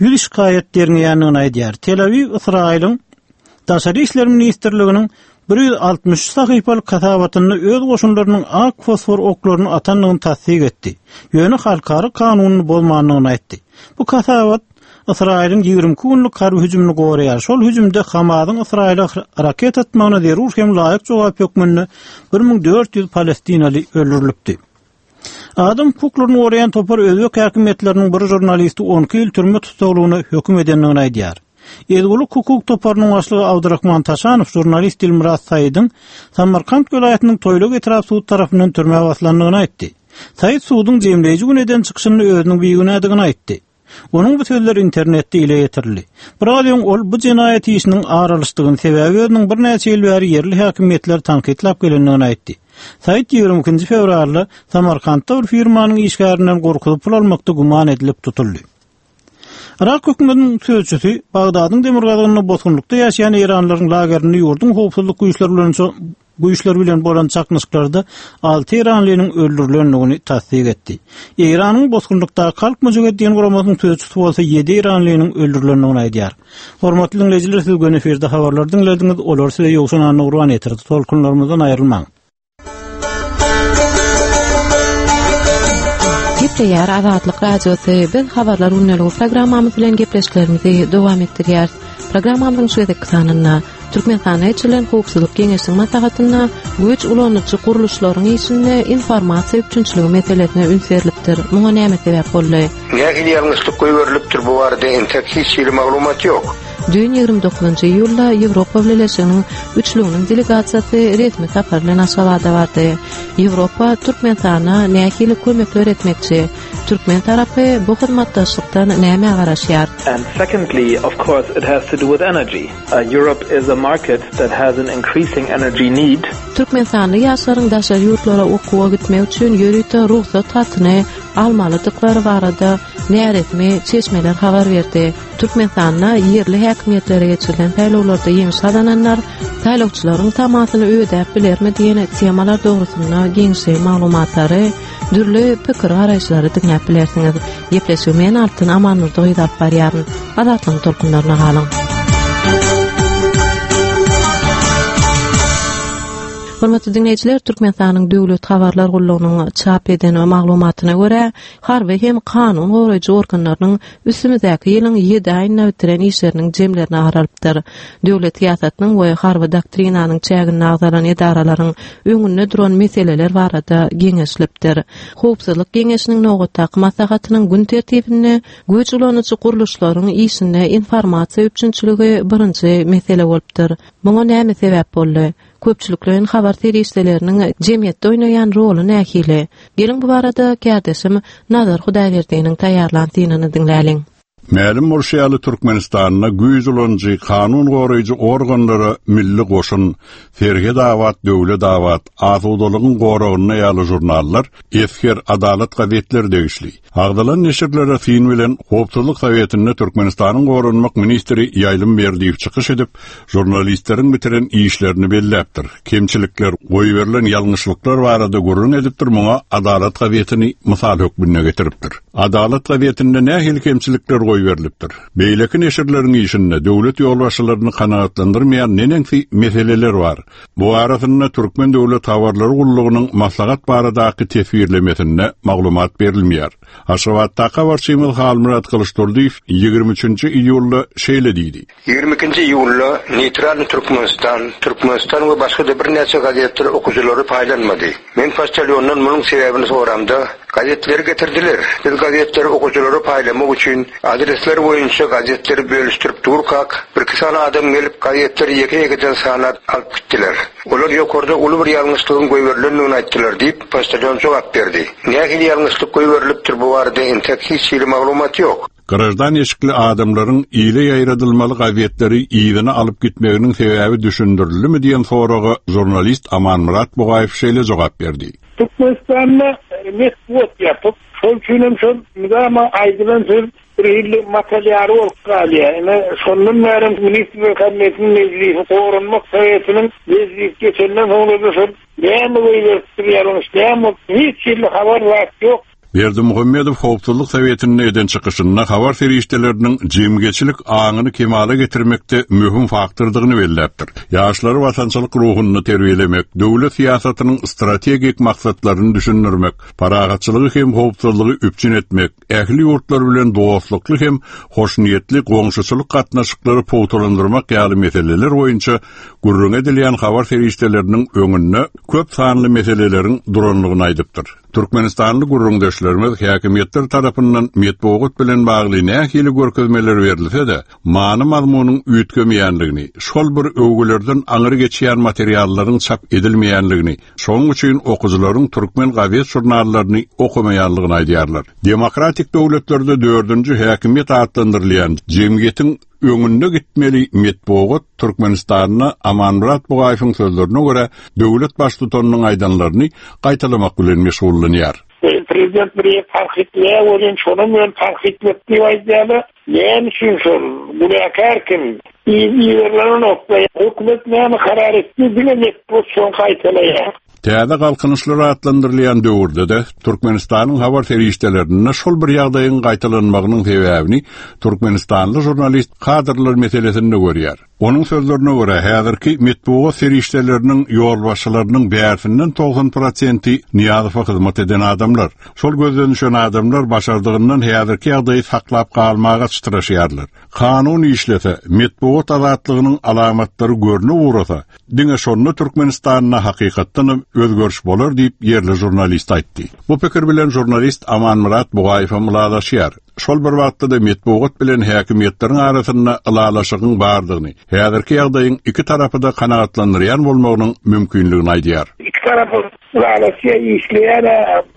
ýüz şikaýat derňeýändigini aýdýar. Tel Awiw Ysraýylyň Daşary işler ministrliginiň bir ýüz altmyş üç sahypalyk hasabatynda öz goşunlarynyň ak fosfor oklaryny atandygyny tassyk etdi. Ýöne halkara kanunyny bozmandygyny aýtdy. Bu hasabat Ysraýylyň ýigrimi iki günlük harby hüjümini goraýar. Şol hüjümde Hamasyň Ysraýyla raket atmagyna zerur hem laýyk jogap hökmünde bir müň dört ýüz palestinaly öldürilipdi. Adam hukuklaryny goraýan topar özbek häkimiýetleriniň bir žurnalisti on iki ýyl türme tussaglygyna höküm edendigini aýdýar. Ezgulyk hukuk toparynyň başlygy Abdurrahman Taşanow jurnalist Dilmurat Saýdyň Samarkant welaýatynyň Toýluk etrap sud tarapyndan türmä baslandygyny aýtdy. Saýt suduň jemleýji gün eden çykyşyny özüniň bigünädigini aýtdy. Onuň bu sözleri internetde ile ýetirildi. Biraz öň ol bu jenaýat işiniň aralyşdygyny sebäbi özüniň birnäçe ýyl bäri ýerli häkimiýetler tankytlap gelendigini aýtdy. Saýt ýigrimi ikinji fewralda Samarkantda bir firmanyň işgärinden gorkuzyp pul almakda güman edilip tutuldy. Irak hökümetiniň sözçüsi Bagdadyň demirgazygynda bosgunlykda ýaşaýan Eýranlaryň lagerinde ýurduň howpsuzlyk güýçleri bilen güýçleri bilen bolan çaknyşyklarda alty Eýranlynyň öldürilendigini tassyk etdi. Eýranyň bosgunlykdaky halk müjahedin guramasynyň sözçüsi bolsa ýedi Eýranlynyň öldürilendigini aýdýar. Hormatly dinleýjiler, siz göni efirde habarlar diňlediňiz, olar size Ýowşan Annagurban ýetirdi. Tolkunlarymyzdan aýrylmaň. Gepleýär Azatlyk Radiosy. Biz habarlar gündeligi programmamyz bilen gepleşiklerimizi dowam etdirýäris. Programmamyzyň şu gezekki sanynda Türkmenistanda geçirilen howpsuzlyk geňeşiniň maslahatynda güýç ulanyjy gurluşlaryň işinde informasiýa üpjünçiligi meselesine üns berlipdir. Muňa näme sebäp boldy? Nähili ýalňyşlyk goýberilipdir bu barada entek hiç hili maglumat ýok. Düýn ýigrimi dokuzynjy iýulda Ýewropa Bileleşiginiň üçlüginiň delegasiýasy resmi sapar bilen Aşgabada bardy. Ýewropa Türkmenistana nähili kömekler etmekçi? Türkmen tarapy bu hyzmatdaşlykdan näme garaşýar? And secondly, of course, it has to do with energy. Uh, Europe is a market that has an increasing energy need. Türkmenistanly ýaşlaryň daşary ýurtlara okuwa gitmek üçin ýörite rugsat hatyny almalydyklary barada näresmi çeşmeler habar berdi. Türkmenistanda ýerli häkimiýetlere geçirilen saýlawlarda ýeňiş gazananlar saýlawçylaryň tamasyny ödäp bilermi diýen temalar dogrusynda giňişleýin maglumatlary, dürli pikir garaýyşlary diňläp bilersiňiz. Gepleşigi men Altyn Amanurdy gyz alyp barýaryn. Azatlygyň tolkunlaryna galyň. Hormatly dinleýjiler, Türkmenistanyň Döwlet Habarlar Gullugynyň çap eden maglumatyna görä, harby hem kanun goraýjy organlarynyň üstümizdäki ýylyň ýedi aýynda bitiren işleriniň jemlerini aralypdyr. Döwlet syýasatynyň we harby doktrinanyň çäginde agzalan edaralaryň öňünde duran meseleler barada geňeşilipdir. Howpsuzlyk geňeşiniň nobatdaky maslahatynyň gün tertibinde güýç ulanyjy gurluşlaryň işinde informasiýa üpjünçiligi birinji mesele bolupdyr. Muňa näme sebäp boldy? Köpçülikleýin habar serişdeleriniň jemgyýetde oýnaýan roly nähili? Geliň bu barada kärdeşim Nazar Hudaýberdiniň taýýarlan synyny diňläliň. Mälim bolşy ýaly Türkmenistanda güýç ulanyjy kanun goraýjy organlara milli goşun, Serhed abat, Döwlet abat, Asudalygyň goragynda ýaly jurnallar, Esger, Adalat gazetleri degişli. Agzalan neşirlere syn bilen Howpsuzlyk Sowetinde Türkmenistanyň goranmak ministri Ýaýlym Berdiýew çykyş edip, jurnalistleriň bitiren işlerini belläpdir. Kemçilikler, goýberilen ýalňyşlyklar barada gürrüň edipdir, muňa Adalat gazetini mysal hökmünde getiripdir. Adalat gazetinde nähili kemçilikler goýberilipdir? Beýleki neşirleriň işinde döwlet ýolbaşçylaryny kanagatlandyrmaýan neneňsi meseleler bar. Bu arasynda Türkmen Döwlet Habarlary Gullugynyň maslahat baradaky teswirlemesinde maglumat berilmeýär. Aşgabatdaky habarçymyz Halmyrat Gylyçdurdyýew ýigrimi üçünji iýulda şeýle diýdi. Ýigrimi ikinji iýulda Neýtral Türkmenistan, Türkmenistan we başga-da birnäçe gazetler okyjylary paýlanmady. Men poçtalyondan munuň sebäbini soramda, gazetleri getirdiler. Biz gazetleri okyjylara paýlamak üçin adresler boýunça gazetleri bölüşdirip durkak, bir iki sany adam gelip gazetleri ýeke-ýekeden sanap alyp gitdiler. Olar ýokarda uly bir ýalňyşlygyň goýberilendigini aýtdylar diýip, poçtalyon jogap berdi. Nähili ýalňyşlyk goýberilipdir bu barada entek hiç hili maglumat ýok. Grajdan eşikli adamlaryň ile ýaýradylmaly gazetleri ýygyna alyp gitmeginiň sebäbi düşündirilimi diýen soraga jurnalist Amanmyrat Bugaýew şeýle jogap berdi. Türkmenistanda metbugat ýapyp, şol üçinem şol nizama aýdylan söz bir hili matalýary bolup galýar. Ine, şondan bäri Ministrler Kabinetiniň mejlisi, Goranmak Sowetiniň mejlisi geçenden soňra şol näme goýberipdir ýalňyş, näme hiç hili habar zat ýok. Berdimuhamedow Howpsuzlyk Sowetinde eden çykyşynda habar serişdeleriniň jemgyýetçilik aňyny kemala getirmekde möhüm faktordygyny belläpdir. Ýaşlary watançylyk ruhuny terbiýelemek, döwlet syýasatynyň strategik maksatlaryny düşündirmek, parahatçylygy hem howpsuzlygy üpjün etmek, ähli ýurtlar bilen dostlukly hem hoşniýetli goňşuçylyk gatnaşyklary pugtalandyrmak ýaly meseleler boýunça gürrüň edilýän habar serişdeleriniň öňünde köp sanly meseleleriň duranlygyny aýdypdyr. Türkmenistanly gürrüňdeşlerimiz häkimiýetler tarapyndan metbugat bilen bagly nähili görkezmeler berilse-de, many mazmunyň üýtgemeýänligini, şol bir öwgülerden aňry geçýän materiallaryň çap edilmeýänligini, şonuň üçin okyjylaryň türkmen gazet žurnallaryny okamaýanlygyny aýdýarlar. Demokratik döwletlerde dördünji häkimiýet atlandyrylýan jemgyýetiň öňünde gitmeli metbugat Türkmenistanda Amanmyrat Bugaýewiň sözlerine görä döwlet baştutanynyň aýdanlaryny gaýtalamak bilen meşgullanýar. Prezident bir tankytlaýar welin şonuň bilen tankytlap diýip aýdýarlar. Näme üçin şol günäkär kim? Iýerlenen hökümet näme karar etdi diňe metbugat şoň gaýtalaýar. Täze galkynyşlar atlandyrylýan döwürde-de Türkmenistanyň habar serişdelerinde şol bir ýagdaýyň gaýtalanmagynyň sebäbini Türkmenistanly žurnalist kadrlar meselesinde görýär. Onuň sözlerine görä, häzirki metbugat serişdeleriniň ýolbaşçylarynyň bärsinden togsan prosenti Nyýazowa hyzmat eden adamlar. Şol gözden düşen adamlar başardygyndan häzirki ýagdaýy saklap galmaga çytraşýarlar. Kanun işlese, metbugat azatlygynyň alamatlary görnüp ugrasa, diňe şonda Türkmenistanda hakykatdan özgeriş bolar diýip ýerli žurnalist aýtdy. Bu pikir bilen žurnalist Amanmyrat Bugaýew ylalaşýar. Şol bir wagtda-da metbugat bilen häkimiýetleriň arasynda ylalaşygyň bardygyny, häzirki ýagdaýyň iki tarapy-da kanagatlandyrýan bolmagynyň mümkinligini aýdýar. Iki tarapy ylalaşýar, işleýär,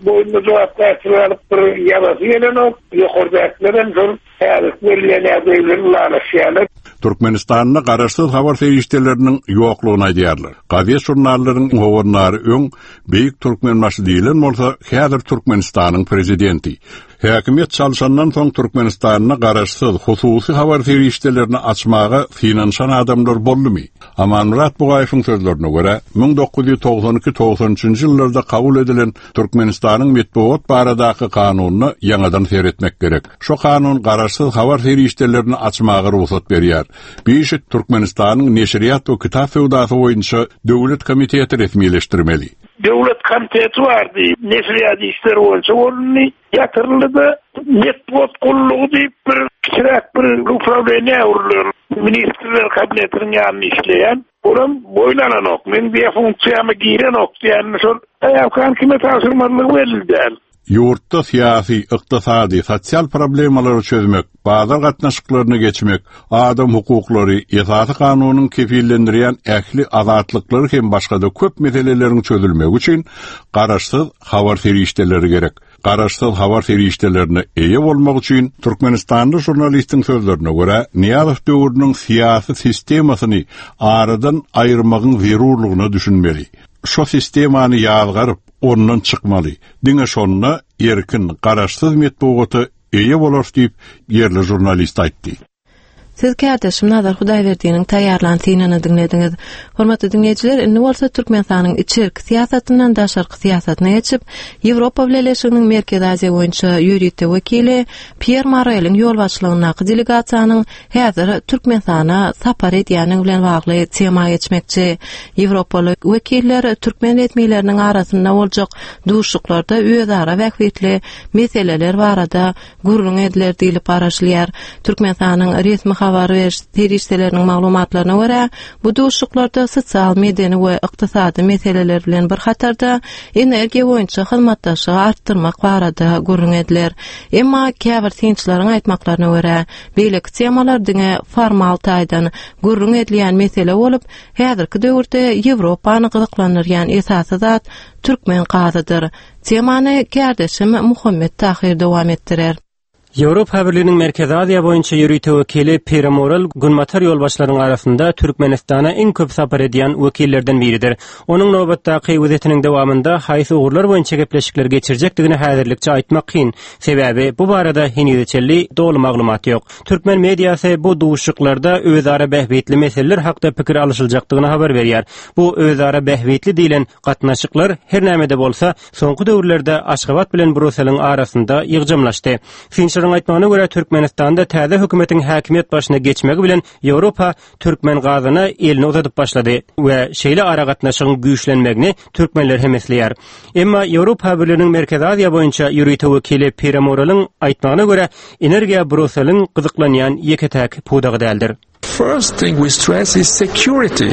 boýunda jogapkärçilik alyp bir ýazasy gelenok, ýokardakylar hem şol häzirki berilýän ýagdaý bilen ylalaşýarlar. Türkmenistanda garaşsyz habar serişdeleriniň ýoklugyny aýdýarlar. Gazet žurnallaryň howandary öň Beýik Türkmenbaşy diýilen bolsa, häzir Türkmenistanyň prezidenti. Häkimiýet çalşandan soň Türkmenistanda garaşsyz hususy habar serişdelerini açmaga synanyşan adamlar boldumy? Amanmyrat Bugaýewiň sözlerine görä, müň dokuz ýüz togsan iki togsan üçünji ýyllarda kabul edilen Türkmenistanyň metbugat baradaky kanunyna ýaňadan seretmek gerek. Şu kanun garaşsyz habar serişdelerini açmaga rugsat berýär. Bu işi Türkmenistanyň Neşirýat we kitap söwdasy boýunça döwlet komiteti resmileşdirmeli. Döwlet komiteti bardy, neşirýat işleri boýunça bolundy, ýatyryldy-da metbugat gullugy diýip bir kiçiräk bir upravleniýe öwrülen, ministrler kabinetiniň ýanynda işleýän. Olam boýun alanok, men diýe funksiýama girenok diýen şol aýakhan kime tabşyrmalygy belli däl. Ýurtda syýasy, ykdysady, sosial problemalary çözmek, bazar gatnaşyklaryny geçmek, adam hukuklary, esasy kanunyň kefillendirýän ähli azatlyklary hem başga-da köp meseleleriň çözülmegi üçin garaşsyz habar serişdeleri gerek. Garaşsyz habar serişdelerine eýe bolmak üçin Türkmenistanly žurnalistiň sözlerine görä, Nyýazow döwrüniň syýasy sistemasyny aradan aýyrmagyň zerurlygyna düşünmeli. Şo sistemany ýazgaryp, ondan çykmaly. Diňe şonda erkin, garaşsyz metbugata eýe bolar diýip ýerli žurnalist aýtdy. Siz kärdeşim Nazar Hudaýberdiniň taýýarlan synyny diňlediňiz. Hormatly diňleýjiler, indi bolsa Türkmenistanyň içerki syýasatyndan daşarky syýasatyna geçip, Ýewropa Bileleşiginiň Merkezi Aziýa boýunça ýörite wekili Pier Moreliň ýolbaşçylygyndaky delegasiýanyň häzir Türkmenistana sapar edýäni bilen bagly tema geçmekçi. Ýewropaly wekiller türkmen resmileriniň arasynda boljak duşuşyklarda özara bähbitli meseleler barada gürrüň ediler diýlip garaşylýar. Türkmenistanyň resmi habar beriş serişdeleriniň maglumatlaryna görä, bu duşuşyklarda sosial, medeni we ykdysady meseleler bilen bir hatarda energiýa boýunça hyzmatdaşlygy artdyrmak barada gürrüň ediler. Emma käbir synçylaryň aýtmaklaryna görä, beýleki temalar diňe formal taýdan gürrüň edilýän mesele bolup, häzirki döwürde Ýewropany gyzyklandyrýan esasy zat türkmen gazydyr. Temany kärdeşim Muhammet Tahir dowam etdirer. Ýewropa Birliginiň Merkezi Aziýa boýunça ýörite wekili Pier Morel Günbatar ýolbaşçylaryň arasynda Türkmenistana iň köp sapar edýän wekillerden biridir. Onuň nobatdaky wezitiniň dowamynda haýsy ugurlar boýunça gepleşikler geçirjekdigini häzirlikçe aýtmak kyn. Sebäbi bu barada heniz çenli doly maglumat ýok. Türkmen mediasy bu duşuşyklarda özara bähbitli meseleler hakda pikir alyşyljakdygyny habar berýär. Bu özara bähbitli diýlen gatnaşyklar her nämede bolsa soňky döwürlerde Aşgabat bilen Bruseliň arasynda ýygjamlaşdy. Synçylaryň aýtmagyna görä Türkmenistanda täze hökümetiň häkimiýet başyna geçmegi bilen Ýewropa türkmen gazyna elini uzadyp başlady we şeýle aragatnaşygyň güýçlenmegini türkmenler hem isleýär. Emma Ýewropa Birliginiň Merkezi Aziýa boýunça ýörite wekili Pier Moreliň aýtmagyna görä energiýa Bruseliň gyzyklanýan ýeke-täk pudagy däldir. first thing we stress is security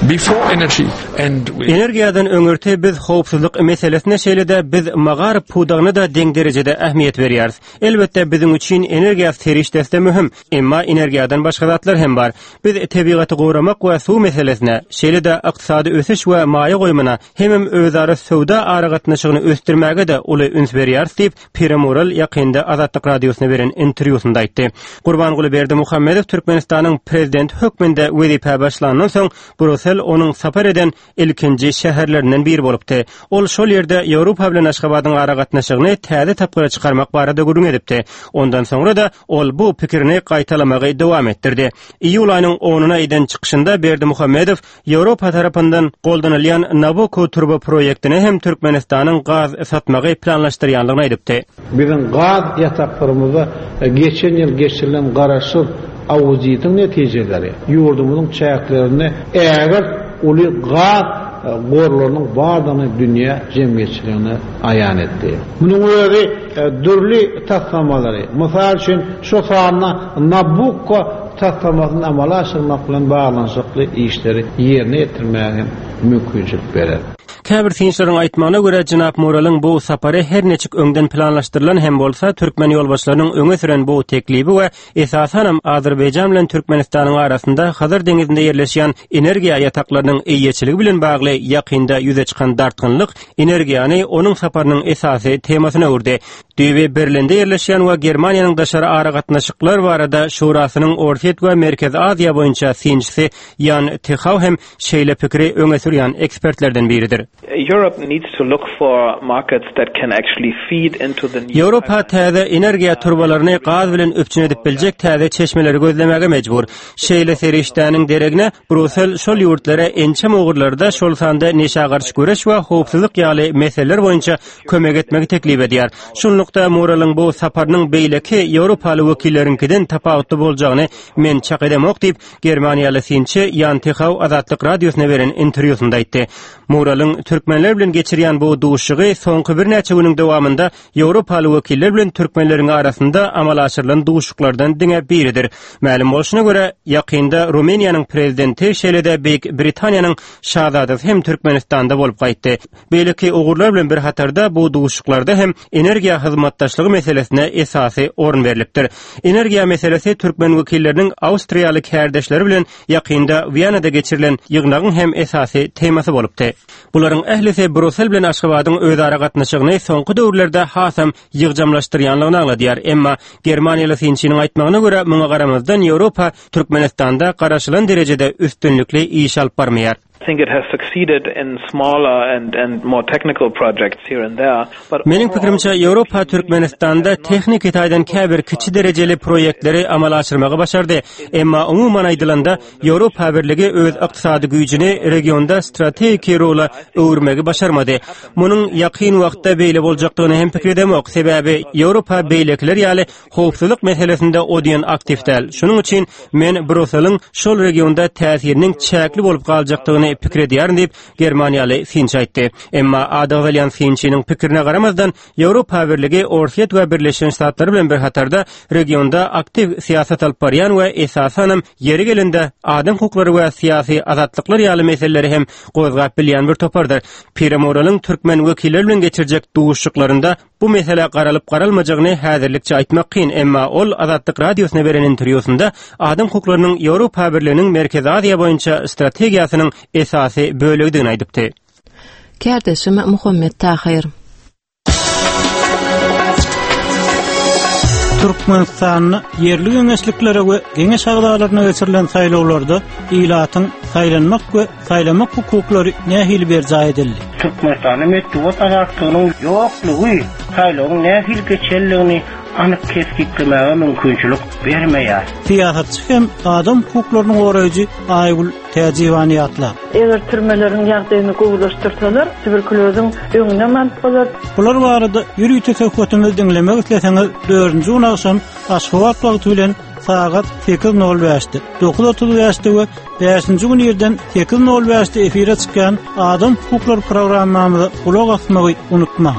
before energy and we Energiýadan öňürti biz howpsuzlyk meselesine şeýle-de biz magaryf pudagyna-da deň derejede ähmiýet berýäris. Elbetde biziň üçin energiýa serişdesi-de möhüm, emma energiýadan başga zatlar hem bar. Biz tebigaty goramak we suw meselesine, şeýle-de ykdysady ösüş we maýa goýumyna hemem özara söwda aragatnaşygyny ösdürmäge-de uly üns berýäris diýip, Pire Morel ýakynda Azatlyk Radiosyna beren interwýusynda aýtdy. Gurbanguly Berdimuhamedow Türkmenistanyň prezidenti hökmünde wezipä başlandan soň Brusel onuň sapar eden ilkinji şäherlerinden biri bolupdy. Ol şol ýerde Ýewropa bilen Aşgabadyň aragatnaşygyny täze tapgyra çykarmak barada gürrüň edipdi. Ondan soňra-da ol bu pikirini gaýtalamagy dowam etdirdi. Iýul aýynyň onuna eden çykyşynda Berdimuhamedow Ýewropa tarapyndan goldanylýan Nabucco turba proýektine hem Türkmenistanyň gaz satmagy planlaşdyrýandygyny aýdypdy. Biziň gaz ýataklarymyzda geçen ýyl geçirilen garaşsyz auditiň netijeleri ýurdumyzyň çäklerinde ägirt uly gaz gorlarynyň bardygyny dünýä jemgyýetçiligine aýan etdi. Munuň özi dürli taslamalary, mysal üçin şu sanda Nabucco taslamasyny amala aşyrmak bilen baglanyşykly işleri ýerine ýetirmäge hem mümkinçilik berer. Käbir synçylaryň aýtmagyna görä Jenap Moreliň bu sapary her niçik öňden planlaşdyrylan hem bolsa türkmen ýolbaşçylarynyň öňe süren bu teklibi we esasanam Azerbaýjan bilen Türkmenistanyň arasynda Hazar deňizinde ýerleşýän energiýa ýataklarynyň eýeçiligi bilen bagly ýakynda ýüze çykan dartgynlyk energiýany onuň saparynyň esasy temasyna öwürdi. Düýbi Berlinde ýerleşýän we Germaniýanyň daşary aragatnaşyklar barada Şurasynyň Orsýet we Merkezi Aziýa boýunça synçysy Ýan Tehau hem şeýle pikiri öňe sürýän ekspertlerden biridir. Europe needs to look for markets that can actually feed into the new Ýewropa täze energiýa turbalaryny gaz bilen üpjün edip biljek täze çeşmeleri gözlemäge mejbur. Şeýle serişdäniň deregine Brusel şol ýurtlara ençeme ugurlarda, şol sanda neşä garşy göreş we howpsuzlyk ýaly meseleler boýunça kömek etmegi teklip edýär. Şunlukda Moreliň bu saparynyň beýleki Ýewropaly wekilleriňkiden tapawutly boljagyny men çak edemok diýip, Germaniýaly synçy Ýan Tehau Azatlyk Radiosyna beren interwýusynda aýtdy. Moreliň türkmenler bilen geçirýän bu duşuşygy soňky birnäçe günüň dowamynda Ýewropaly wekiller bilen türkmenleriň arasynda amala aşyrylan duşuşyklardan diňe biridir. Mälim bolşuna görä, ýakynda Rumyniýanyň prezidenti şeýle-de Beýik Britaniýanyň şazadasy hem Türkmenistanda bolup gaýtdy. Beýleki ugurlar bilen bir hatarda bu duşuşyklarda hem energiýa hyzmatdaşlygy meselesine esasy orun berlipdir. Energiýa meselesi türkmen wekilleriniň Awstriýaly kärdeşleri bilen ýakynda Wiýanada geçirilen ýygnagyň hem esasy temasy bolupdy. Bularyň ählisi Brusel bilen Aşgabadyň özara gatnaşygyny soňky döwürlerde hasam ýygjamlaşdyrýanlygyny aňladýar. Emma Germaniýaly synçynyň aýtmagyna görä, muňa garamazdan Ýewropa Türkmenistanda garaşylan derejede üstünlikli iş alyp barmaýar. I think it has succeeded in smaller and and more technical projects here and there, but Meniň pikirimçe Ýewropa Türkmenistanda tehniki taýdan käbir kiçi derejeli proýektleri amala aşyrmagy başardy. Emma umuman aýdylanda Ýewropa Birligi öz ykdysady güýjüni regionda strategiki rola öwürmegi başarmady. Munuň ýakyn wagtda beýle boljakdygyny hem pikir edemok. Sebäbi Ýewropa beýlekiler ýaly howpsuzlyk meselesinde o diýen aktiw däl. Şunuň üçin men Bruseliň şol regionda täsiriniň çäkli bolup galjakdygyny pikir edýärin diýip, Germaniýaly synçy aýtdy. Emma ady agzalýan synçynyň pikirine garamazdan Ýewropa Birligi Orsýet we Birleşen Ştatlar bilen bir hatarda regionda aktiw syýasat alyp barýan we esasanam ýeri gelende adam hukuklary we syýasy azatlyklar ýaly meseleleri hem gozgap bilýän bir topardyr. Pire Moreliň türkmen wekilleri bilen geçirjek duşuşyklarynda bu mesele garalyp garalmajagyny häzirlikçe aýtmak kyn, emma ol Azatlyk Radiosyna beren interwýusynda adam hukuklarynyň Ýewropa Birliginiň Merkezi Aziýa boýunça strategiýasynyň esasy bölegidigini aýdypdy. Kärdeşim Muhammet Tahyr. Türkmenistanda ýerli geňeşliklere we geňeş agzalaryna geçirilen saýlawlarda ilatyň saýlanmak we saýlamak hukuklary nähili berjaý edildi? Türkmenistanda metbugat azatlygynyň ýoklugy saýlawyň nähili geçenligini anyk kesgitlemäge mümkinçilik bermeýär. Syýasatçy hem adam hukuklaryny goraýjy Aýgül Täjiwany ýatlap. Eger türmeleriň ýagdaýyny gowulaşdyrsalar, tuberkulýozyň öňüne alyp bolar. Bular barada ýörite söhbetimizi diňlemek isleseňiz, dördünji gün agşam Aşgabat wagty bilen sagat sekiz nol bäşde, dokuz otuz bäşde we bäşinji gün irden sekiz nol bäşde efire çykýan Adam hukuklary programmamyza gulak asmagy unutmaň.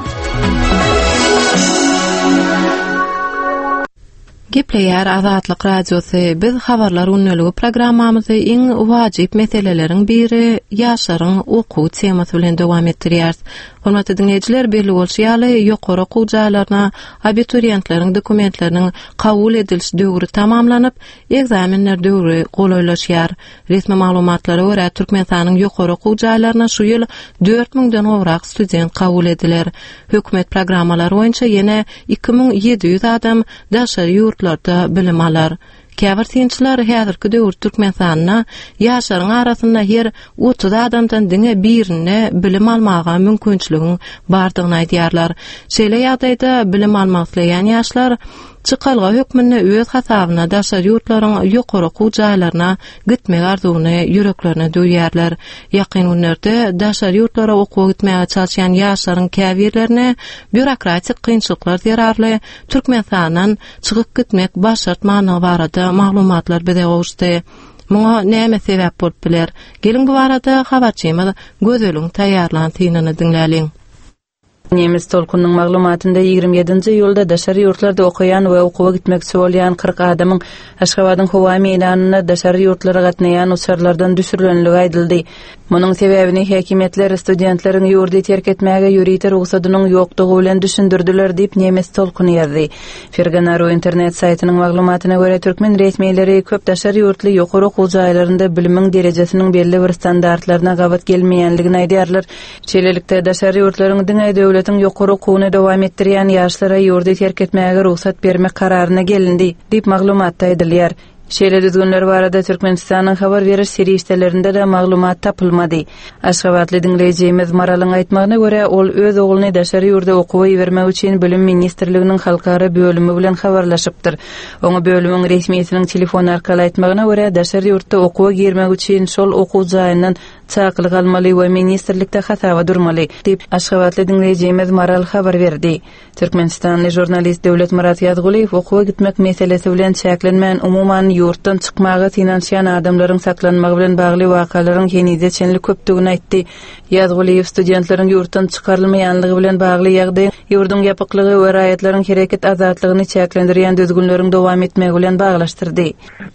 Gepleýär Azatlyk Radiosy. Biz habarlar gündeligi programmamyzy iň wajyp meseleleriň biri ýaşlaryň okuw temasy bilen dowam etdirýäris. Hormatly diňleýjiler, belli bolşy ýaly, ýokary okuw jaýlaryna abituriýentleriň dokumentleriniň kabul ediliş döwri tamamlanyp, ekzamenler döwri golaýlaşýar. Resmi maglumatlara görä, Türkmenistanyň ýokary okuw jaýlaryna şu ýyl dört müňden gowrak student kabul ediler. Hökümet programmalary boýunça ýene iki müň ýedi ýüz adam daşary ýurtlarda bilim alar. Käbir synçylar häzirki döwür Türkmenistanda ýaşlaryň arasynda her otuz adamdan diňe birine bilim almaga mümkinçiligiň bardygyny aýdýarlar. Şeýle ýagdaýda bilim almak isleýän ýaşlar çykalga hökmünde öz hasabyna daşary ýurtlaryň ýokary okuw jaýlaryna gitmek arzuwyny ýüreklerine düwýärler. Ýakyn günlerde daşary ýurtlara okuwa gitmäge çalyşýan ýaşlaryň käbirlerine býurokratik kynçylyklar zerarly Türkmenistandan çykyp gitmek başartmanlygy barada maglumatlar bize gowuşdy. Muňa näme sebäp bolup biler? Geliň bu barada habarçymyz Gözeliň taýýarlan synyny diňläliň. Nemes tolkunyň maglumatynda ýigrimi ýedinji iýulda daşary ýurtlarda okaýan we okuwa gitmekçi bolýan kyrk adamyň Aşgabadyň howa meýdanynda daşary ýurtlara gatnaýan uçarlardan düşürilenligi aýdyldy. Munuň sebäbini häkimiýetler studentleriň ýurdy terk etmäge ýörite rugsadynyň ýokdugy bilen düşündirdiler diýip Nemes tolkuny ýazdy. Ferganaru internet saýtynyň maglumatyna görä, türkmen resmileri köp daşary ýurtly ýokary okuw jaýlarynda bilimiň derejesiniň belli bir standartlaryna gabat gelmeýänligini aýdýarlar. Şeýlelikde, daşary ýurtlaryň diňe döwletiň ýokary okuwyny dowam etdirýän ýaşlara ýurdy terk etmäge rugsat bermek kararyna gelindi diýip maglumatda aýdylýar. Şeýle düzgünler barada Türkmenistanyň habar beriş serişdelerinde-de maglumat tapylmady. Aşgabatly diňleýjimiz Maralyň aýtmagyna görä, ol öz ogluny daşary ýurda okuwa ibermek üçin Bilim ministrliginiň halkara bölümi bilen habarlaşypdyr. Oňa bölümiň resmisiniň telefon arkaly aýtmagyna görä, daşary ýurtda okuwa girmek üçin şol okuw jaýyndan çakylyk almaly we ministrlikde hasaba durmaly, diýip, Aşgabatly diňleýjimiz Maral habar berdi. Türkmenistanly žurnalist Döwletmyrat Ýazgulyýew okuwa gitmek meselesi bilen çäklenmän, umuman ýurtdan çykmaga synanyşýan adamlaryň saklanmagy bilen bagly wakalaryň henize çenli köpdügini aýtdy. Ýazgulyýew studentleriň ýurtdan çykarylmaýanlygy bilen bagly ýagdaý ýurduň ýapyklygy we raýatlaryň hereket azatlygyny çäklendirýän düzgünleriň dowam etmegi bilen baglaşdyrdy.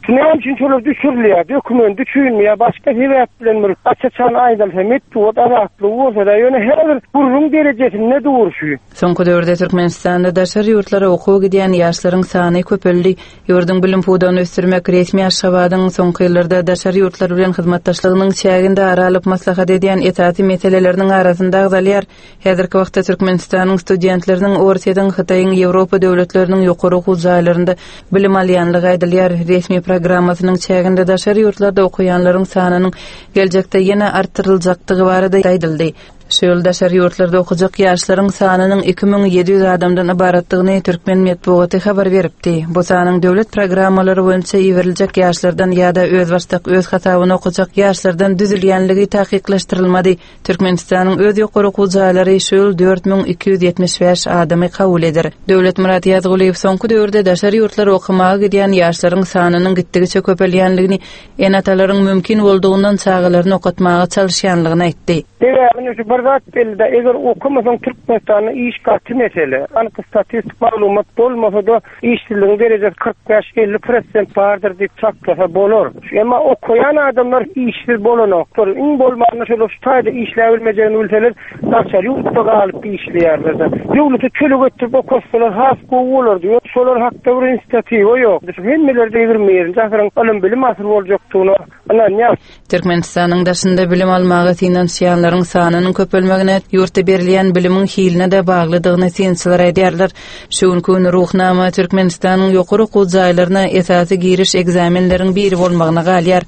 Näme üçin şolar düşürilýär? Dokument üçinmi ýa başga sebäp bilen bir aç-açan aýdylsa, metbugat azatlygy bolsa-da, ýöne her bir gürrüň derejesinde durşy. Soňky döwürde Türkmenistanda daşary ýurtlara okuwa gidýän ýaşlaryň sany köpeldi. Ýurduň bilim pudagyny ösdürmek resmi Aşgabadyň soňky ýyllarda daşary ýurtlar bilen hyzmatdaşlygynyň çäginde ara alyp maslahat edýän esasy meseleleriniň arasynda agzalýar. Häzirki wagtda Türkmenistanyň studentleriniň Orsýetiň, Hytaýyň, Ýewropa döwletleriniň ýokary okuw jaýlarynda bilim alýanlygy aýdylýar. Resmi programmasynyň çäginde daşary ýurtlarda okaýanlaryň sanynyň geljekde ýene artdyryljakdygy barada aýdyldy. Şu ýyl daşary ýurtlarda okajak ýaşlaryň sanynyň iki müň ýedi ýüz adamdan ybaratdygyny türkmen metbugaty habar beripdi. Bu sanyň döwlet programmalary boýunça iberiljek ýaşlardan ýa-da özbaşdak öz hasabyna okajak ýaşlardan düzülýänligi takyklaşdyrylmady. Türkmenistanyň öz ýokary okuw jaýlary şu ýyl dört müň iki ýüz ýetmiş bäş adamy kabul eder. Döwletmyrat Ýazgulyýew soňky döwürde daşary ýurtlara okamaga gidýän ýaşlaryň sanynyň gitdigiçe köpelýänligini, ene-atalaryň mümkin boldugyndan çagalaryny okatmaga çalyşýanlygyny aýtdy. Sebäbini şu bir zat belli-de, eger okamasaň Türkmenistanda iş gaty mesele. Anyk statistik maglumat bolmasa-da işsizligiň derejesi kyrk bäş elli prosent bardyr diýip çaklasa bolar. Emma okaýan adamlar işsiz bolanoklar. Iň bolmanda şolar şu taýda işläp bilmejegini bilseler, daşary ýurtda galyp işleýärler. Döwleti töleg etdirip okatsalar has gowy bolardy. Ýok, şolar hakda bir inisiatiwa ýok. Hemmeler de ýigrimi birinji asyryň ylym-bilim asyry boljakdygyna ynanýar. Türkmenistanyň daşynda bilim almaga synanyşýanlaryň sanynyň köpelmegine, ýurtda berilýän bilimiň hiline-de baglydygyny synçylar aýdýarlar. Şu günki gün Ruhnama Türkmenistanyň ýokary okuw jaýlaryna esasy giriş ekzamenleriň biri bolmagyna galýar.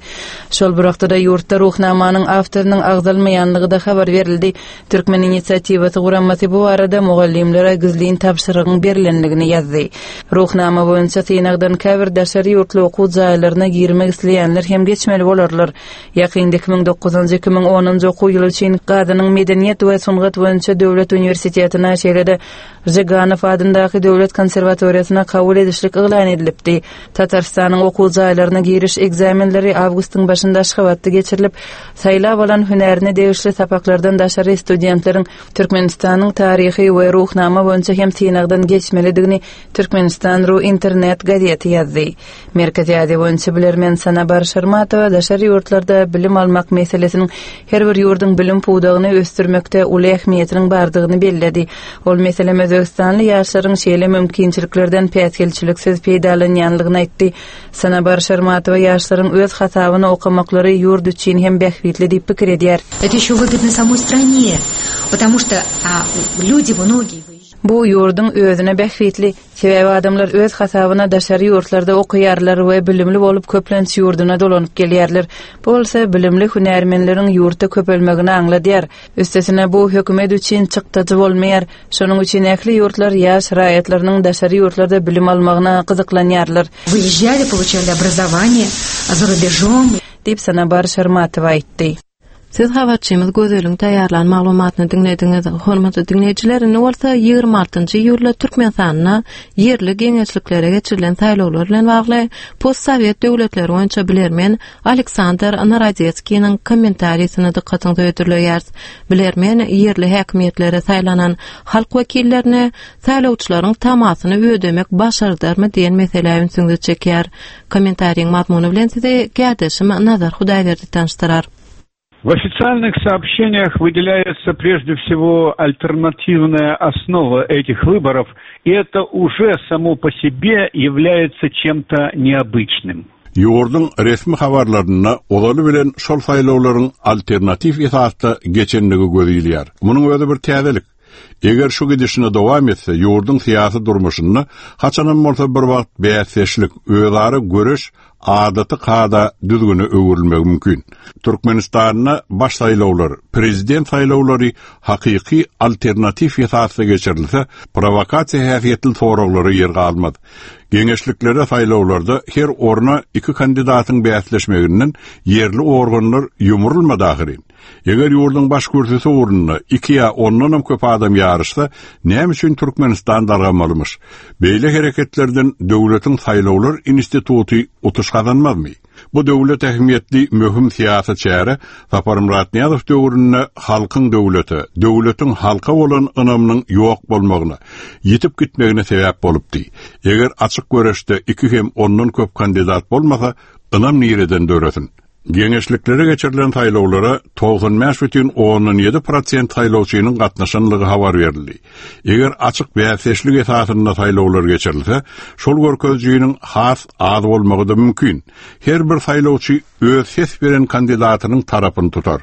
Şol bir wagtda ýurtda Ruhnamanyň awtorynyň agzalmaýanlygy-da habar berildi. Türkmen inisiatiwasy guramasy bu barada mugallymlara gizlin tabşyrygyň berilenligini ýazdy. Ruhnama boýunça synagdan käbir daşary ýurtly okuw jaýlaryna girmek isleýänler hem geçmeli bolarlar. Ýakynda iki müň dokuzynjy, iki müň onunjy okuw ýyly üçin Gazynyň Medeniýet we sungat boýunça döwlet uniwersitetine, şeýle-de Žiganow adyndaky döwlet konserwatoriýasyna kabul edişlik yglan edilipdi. Tatarystanyň okuw jaýlaryna giriş ekzamenleri awgustyň başynda Aşgabatda geçirilip, saýlap alan hünärine degişli sapaklardan daşary studentleriň Türkmenistanyň taryhy we ruhnama boýunça hem synagdan geçmelidigini Türkmenistan ru internet gazeti ýazdy. Merkezi Aziýa boýunça bilermen Sanabar Şarmatowa daşary ýurtlarda bilim almak meselesiniň her bir ýurduň bilim pudagyny ösdürmekde uly ähmiýetiniň bardygyny belledi. Ol meselem Özbegistanly ýaşlaryň şeýle mümkinçiliklerden päsgelçiliksiz peýdalanýanlygyny aýtdy. Sanabar Şarmatowa ýaşlaryň öz hasabyna okamaklary ýurt üçin hem bähbitli diýip pikir edýär. Это еще выгодно самой стране, потому что а, люди многие Bu ýurduň özüne bähbitli, sebäbi adamlar öz hasabyna daşary ýurtlarda okaýarlar we bilimli bolup köplenç ýurduna dolanyp gelýärler. Bu bolsa bilimli hünärmenleriň ýurtda köpelmegini aňladýar. Üstesine bu hökümet üçin çykdajy bolmaýar. Şonuň üçin ähli ýurtlar ýaş raýatlarynyň daşary ýurtlarda bilim almagyna gyzyklanýarlar. Выезжали, получали образование за рубежом. Diýip Sanabar Şarmatowa aýtdy. Siz habarçymyz Gözeliň taýýarlan maglumatyny diňlediňiz. Hormatly diňleýjiler, indi bolsa ýigrimi altynjy iýulda Türkmenistanda ýerli geňeşliklere geçirilen saýlawlar bilen bagly postsowet döwletleri boýunça bilermen Aleksandr Narodetskiniň kommentariýasyny dykgatyňyza hödürleýäris. Bilermen ýerli häkimiýetlere saýlanan halk wekillerine saýlawçylaryň tamasyny ödemek başardarmy diýen meselä ünsüňizi çekýär. Kommentariýiň mazmuny bilen sizi kärdeşim Nazar Hudaýberdi tanyşdyrar. В официальных сообщениях выделяется прежде всего альтернативная основа этих выборов, и это уже само по себе является чем-то необычным. Ýurduň resmi habarlarynda ozaly bilen şol saýlawlaryň alternatiw esasda geçenligi gözilýär. Munuň özi bir täzelik. Eger şu gidişine dowam etse, ýurduň syýasy durmuşynda haçanam bolsa bir wagt bäsdeşlik, özara göreş adaty kada düzgüne öwrülmegi mümkin. Türkmenistanda baş saýlawlar, prezident saýlawlary hakyky alternatiw esasda geçirilse, provokasiýa häsiýetli soraglara ýer galmaz. Geňeşliklere saýlawlarda her orna iki kandidatyň bäsleşmeginden ýerli organlar ýumrulmady ahyryn. Eger ýurduň baş kürsüsi ugrunda iki ýa ondanam köp adam ýaryşsa, näme üçin Türkmenistan dargamalymyş? Beýle hereketlerden döwletiň saýlawlar instituty utuş gazanmazmy? Bu döwlet ähmiýetli möhüm syýasy çäre Saparmyrat Nyýazow döwründe halkyň döwlete, döwletiň halka bolan ynamynyň ýok bolmagyna, ýetip gitmegine sebäp bolupdy. Eger açyk göreşde iki hem ondan köp kandidat bolmasa, ynam nireden döresin? Geňeşliklere geçirilen saýlawlara togsan bäş bütin ondan ýedi prosent saýlawçynyň gatnaşanlygy habar berildi. Eger açyk bäsdeşlik esasynda saýlawlar geçirilse, şol görkezijiniň has az bolmagy da mümkin. Her bir saýlawçy öz ses beren kandidatynyň tarapyny tutar.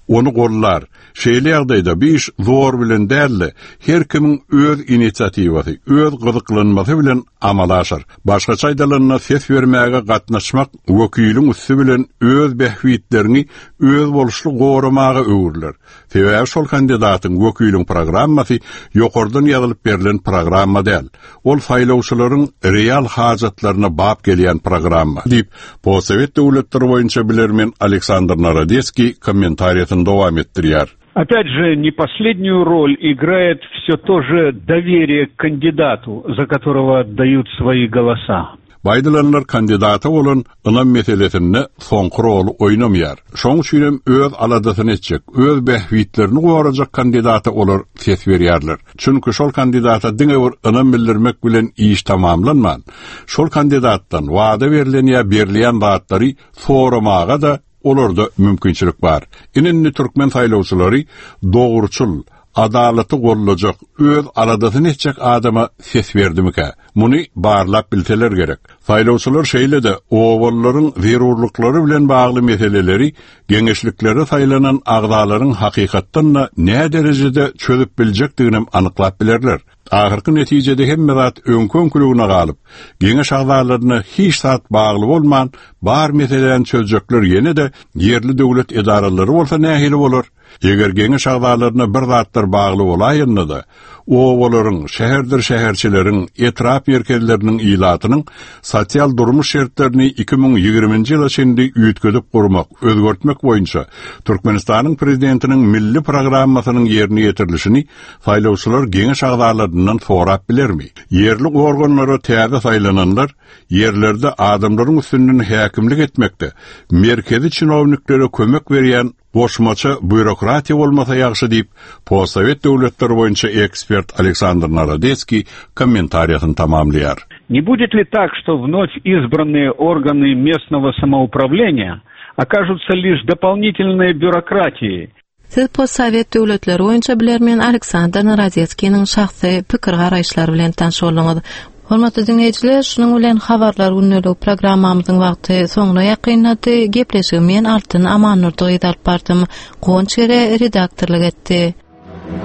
Ony gollar. Şeýle ýagdaýda bir iş zor bilen däl-de, her kimiň öz inisiatiwasy, öz gyzyklanmasy bilen amala aşar. Başgaça aýdylanda ses bermäge gatnaşmak wekiliň üsti bilen öz bähbitlerini öz boluşly goramaga öwrüler. Sebäbi şol kandidatyň wekiliň programmasy ýokardan ýazylyp berlen programma däl. Ol saýlawçylaryň real hajatlaryna bap gelýän programma diýip, postsowet döwletleri boýunça bilermen Aleksandr Narodetskiý kommentariýasyny dowam etdirýär. Опять же, не последнюю роль играет все то же доверие к кандидату, за которого отдают свои голоса. Bu aýdylanlar kandidata bolan ynam meselesinde soňky roly oýnamaýar. Şonuň üçin hem öz aladasyny etjek, öz bähbitlerini gorajak kandidata olar ses berýärler. Çünki şol kandidata diňe bir ynam bildirmek bilen iş tamamlanman, şol kandidatdan wada berlen ýa berilýän zatlary soramaga da olarda mümkinçilik bar. Indi türkmen saýlawçylary dogruçyl, adalaty gollajak, öz aladasyny etjek adama ses berdimikä? Muny barlap bilseler gerek. Saýlawçylar şeýle-de owallaryň zerurlyklary bilen bagly meseleleri geňeşliklere saýlanan agzalaryň hakykatdan da näme derejede çözüp biljekdigini anyklap bilerler. Ahyrky netijede hemme zat öňkü-öňküligine galyp, geňeş agzalaryna hiç zat bagly bolman, bar meselelerini çözjekler ýene-de ýerli döwlet edaralary bolsa nähili bolar? Eger geňeş agzalaryna bir zatlar bagly bolaýanda-da, obalaryň, şäherdir şäherçeleriň, etrap merkezleriniň ilatynyň sosial durmuş şertlerini iki müň ýigriminji ýyla çenli üýtgedip gurmak, özgertmek boýunça Türkmenistanyň Prezidentiniň milli programmasynyň ýerine ýetirilişini saýlawçylar geňeş agzalaryndan sorap bilermi? Ýerli organlara täze saýlananlar ýerlerde adamlaryň üstünden häkimlik etmekde merkezi çinowniklere kömek berýän goşmaça býurokratiýa bolmasa ýagşy diýip, postsowet döwletleri boýunça ekspert Aleksandr Narodetskiý kommentariýasyny tamamlaýar. Не будет ли так, что вновь избранные органы местного самоуправления окажутся лишь дополнительной бюрократией? Siz postsowet döwletleri boýunça bilermen Aleksandr Narodetskiniň şahsy pikir garaýyşlary bilen tanyş bolduňyz. Hormatly diňleýjiler, şunuň bilen habarlar gündelik programmamyzyň wagty soňuna ýakynlady. Gepleşigi men Altyn Amannurdy gyz alyp bardym. Guwanç Gere redaktorlyk etdi.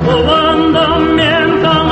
Guwandym men saňa.